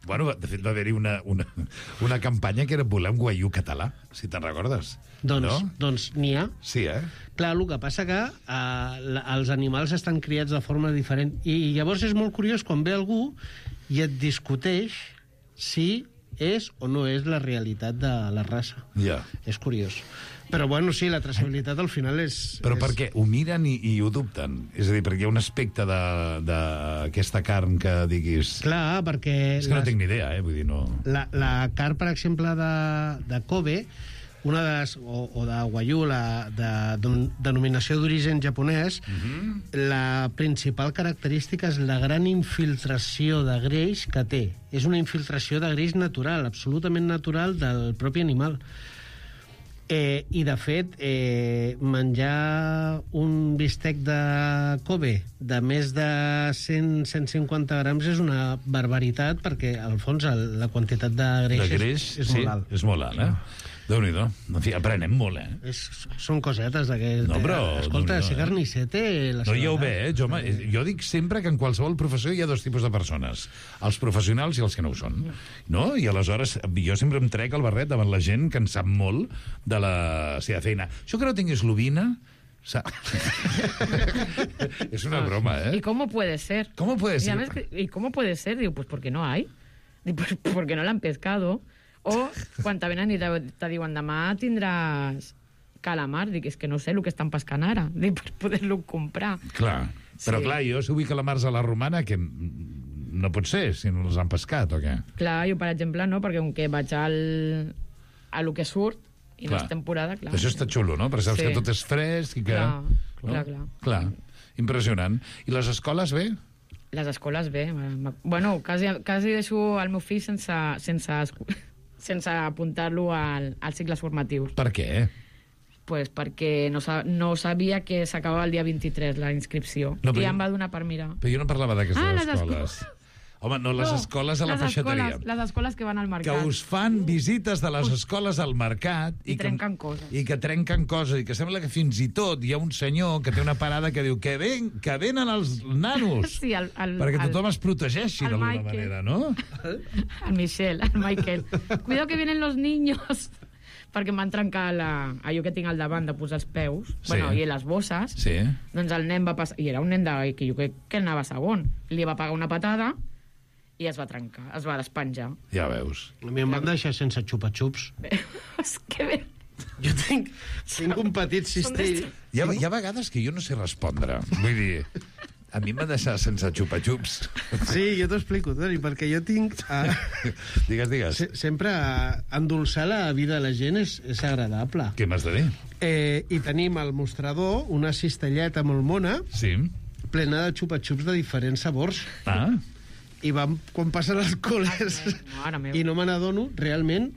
Speaker 7: Bueno, de fet, va haver-hi una campanya que era voler un Wagyu català, si te'n recordes.
Speaker 9: Doncs n'hi ha.
Speaker 7: Sí,
Speaker 9: Clar, el que passa que els animals estan criats de forma diferent. I llavors és molt curiós quan ve algú i et discuteix si és o no és la realitat de la raça.
Speaker 7: Ja.
Speaker 9: És curiós. Però, bueno, sí, la traçabilitat al final és...
Speaker 7: Però per què? Ho miren i ho dubten? És a dir, perquè hi ha un aspecte d'aquesta carn que diguis...
Speaker 9: Clar, perquè...
Speaker 7: És que no tinc ni idea, vull dir, no...
Speaker 9: La carn, per exemple, de Kobe, una de les, o de Wagyu, de denominació d'origen japonès, la principal característica és la gran infiltració de greix que té. És una infiltració de greix natural, absolutament natural del propi animal. I, de fet, menjar un bistec de Kobe de més de 100-150 grams és una barbaritat, perquè, al fons, la quantitat de greix, és molt alt.
Speaker 7: És molt alt, Déu-n'hi-do. En fi, aprenem molt,
Speaker 9: Són cosetes d'aquest...
Speaker 7: No, però...
Speaker 9: Escolta, ser carnisser té la
Speaker 7: No, ja ho ve, jo dic sempre que en qualsevol professió hi ha dos tipus de persones. Els professionals i els que no ho són. No? I aleshores jo sempre em trec el barret davant la gent que en sap molt de la seva feina. Això que no tinguis l'ovina... És una broma,
Speaker 8: ¿Y cómo puede ser?
Speaker 7: ¿Cómo puede ser?
Speaker 8: ¿Y cómo puede ser? Digo, pues porque no hay. Digo, pues porque no la han pescado. O quan te venen i te diuen demà tindràs calamar. Dic, és que no sé el que estan pescant ara. Dic, per poder-lo comprar.
Speaker 7: Clar, però clar, jo si vull calamars a la romana, que no pot ser, si no els han pescat o què?
Speaker 8: Clar, jo per exemple no, perquè com que vaig a lo que surt i no és temporada, clar.
Speaker 7: Això està xulo, no? Perquè saps que tot és fresc i que... Clar. Impressionant. I les escoles bé?
Speaker 8: Les escoles bé. Bueno, quasi deixo el meu fill sense apuntar-lo als cicles formatius.
Speaker 7: Per què?
Speaker 8: Pues perquè no sabia que s'acabava el dia 23 la inscripció. No, i em va donar per mirar.
Speaker 7: Però jo no parlava d'aquestes escoles. Home, no, les escoles a la peixateria.
Speaker 8: Les escoles que van al mercat.
Speaker 7: Que us fan visites de les escoles al mercat
Speaker 8: i trenquen coses.
Speaker 7: I que trenquen coses. I que sembla que fins i tot hi ha un senyor que té una parada que diu que venen els nanos.
Speaker 8: Sí,
Speaker 7: perquè tothom es protegeixi d'alguna manera, no?
Speaker 8: El Michael. Cuidado que vienen los niños. Perquè em van trencar allò que tinc al davant de posar els peus, i les bosses, doncs el nen va passar, i era un nen que jo crec que anava segon, li va pegar una patada i es va trencar, es va despenjar.
Speaker 7: Ja veus.
Speaker 9: A mi em van deixar sense xupa-xups.
Speaker 8: És que bé.
Speaker 9: Jo tinc un petit cistell.
Speaker 7: Hi ha vegades que jo no sé respondre. Vull dir, a mi m'ha deixat sense xupa-xups.
Speaker 9: Sí, jo t'ho explico, Toni, perquè jo tinc...
Speaker 7: Digues.
Speaker 9: Sempre endolçar la vida de la gent és agradable.
Speaker 7: Què m'has de dir?
Speaker 9: I tenim al mostrador una cistelleta molt mona, plena de xupa-xups de diferents sabors. I quan passen els col·les i no me n'adono, realment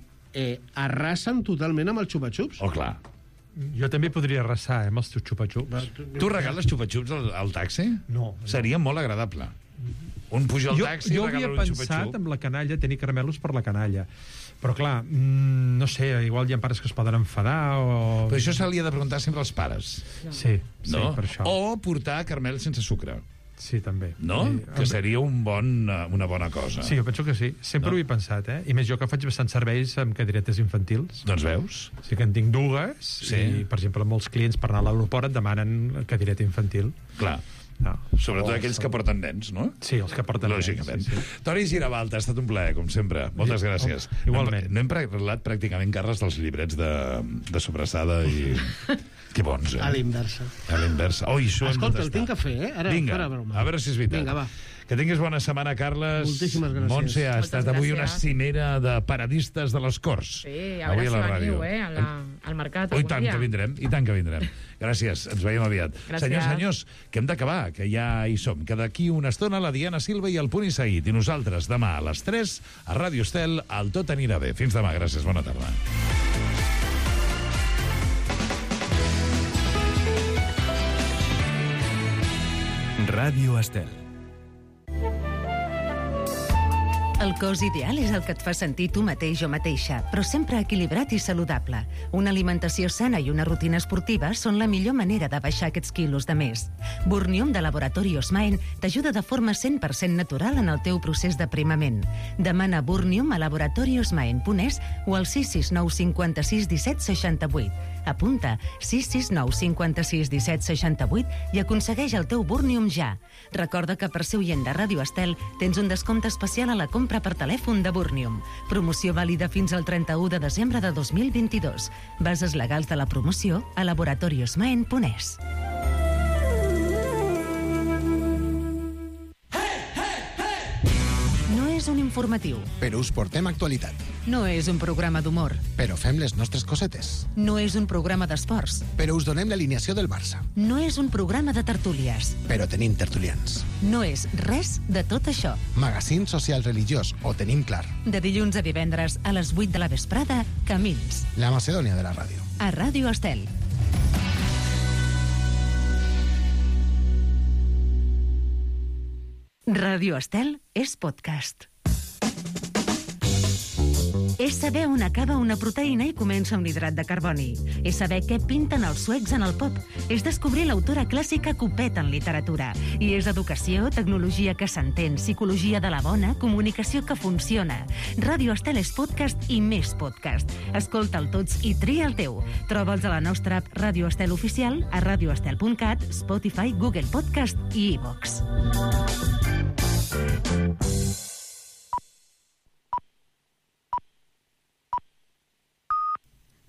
Speaker 9: arrasen totalment amb els xupa-xups.
Speaker 7: Oh, clar.
Speaker 14: Jo també podria arrasar, amb els teus xupa-xups.
Speaker 7: Tu regales xupa-xups al taxi?
Speaker 14: No.
Speaker 7: Seria molt agradable. Un puja al taxi i regala un xupa-xup.
Speaker 14: Jo havia pensat amb la canalla, tenir caramelos per la canalla. Però, clar, no sé, igual hi ha pares que es poden enfadar o...
Speaker 7: Però això se li ha de preguntar sempre als pares.
Speaker 14: Sí, per això.
Speaker 7: O portar caramel sense sucre.
Speaker 14: Sí, també.
Speaker 7: No? Que seria una bona cosa.
Speaker 14: Sí, jo penso que sí. Sempre ho he pensat, I més jo que faig bastants serveis amb cadiretes infantils.
Speaker 7: Doncs veus?
Speaker 14: Sí que en tinc dues, i, per exemple, molts clients per anar a l'aeroport et demanen cadireta infantil.
Speaker 7: Clar. Sobretot aquells que porten nens, no?
Speaker 14: Sí, els que porten nens.
Speaker 7: Lògicament. Toni Girabalta, ha estat un plaer, com sempre. Moltes gràcies.
Speaker 14: Igualment.
Speaker 7: No hem parlat pràcticament, Carles, dels llibrets de sobrassada i... Que bons,
Speaker 9: A l'inversa.
Speaker 7: Escolta,
Speaker 9: el tinc a fer,
Speaker 7: Vinga, a veure si és veritat.
Speaker 9: Vinga, va.
Speaker 7: Que tinguis bona setmana, Carles.
Speaker 9: Moltíssimes gràcies.
Speaker 7: Montse, ha estat avui una cimera de paradistes de les Corts.
Speaker 8: Sí, a veure si veniu, al mercat algun dia.
Speaker 7: I tant que vindrem. Gràcies, ens veiem aviat.
Speaker 8: Gràcies.
Speaker 7: Senyors, que hem d'acabar, que ja hi som. Que d'aquí una estona la Diana Silva i el Punt i Seguit. I nosaltres demà a les 3 a Ràdio Estel, al Tot anirà bé. Fins demà, gràcies, bona tarda.
Speaker 1: Ràdio Estel.
Speaker 6: El cos ideal és el que et fa sentir tu mateix o mateixa, però sempre equilibrat i saludable. Una alimentació sana i una rutina esportiva són la millor manera de baixar aquests quilos de més. Burnium de Laboratori Osmaen t'ajuda de forma 100% natural en el teu procés d'aprimament. Demana Burnium a laboratoriosmaen.es o al 669 56 17 68. Apunta 669 56 17 68 i aconsegueix el teu Burnium ja. Recorda que per ser oient de Ràdio Estel tens un descompte especial a la compra per telèfon de Burnium. Promoció vàlida fins al 31 de desembre de 2022. Bases legals de la promoció a laboratoriosmaen.es. No és un informatiu.
Speaker 17: Però us portem actualitat.
Speaker 6: No és un programa d'humor.
Speaker 17: Però fem les nostres cosetes.
Speaker 6: No és un programa d'esports.
Speaker 17: Però us donem l'alineació del Barça.
Speaker 6: No és un programa de tertúlies.
Speaker 17: Però tenim tertulians.
Speaker 6: No és res de tot això.
Speaker 17: Magazín social religiós, ho tenim clar.
Speaker 6: De dilluns a divendres a les 8 de la vesprada, Camins.
Speaker 17: La Macedònia de la ràdio.
Speaker 6: A Ràdio Estel. Ràdio Estel és podcast. És saber on acaba una proteïna i comença un hidrat de carboni. És saber què pinten els suecs en el pop. És descobrir l'autora clàssica que ho peta en literatura. I és educació, tecnologia que s'entén, psicologia de la bona, comunicació que funciona. Ràdio Estel és podcast i més podcast. Escolta'l tots i tria el teu. Troba'ls a la nostra app Ràdio Estel Oficial, a radioestel.cat, Spotify, Google Podcast i iVox.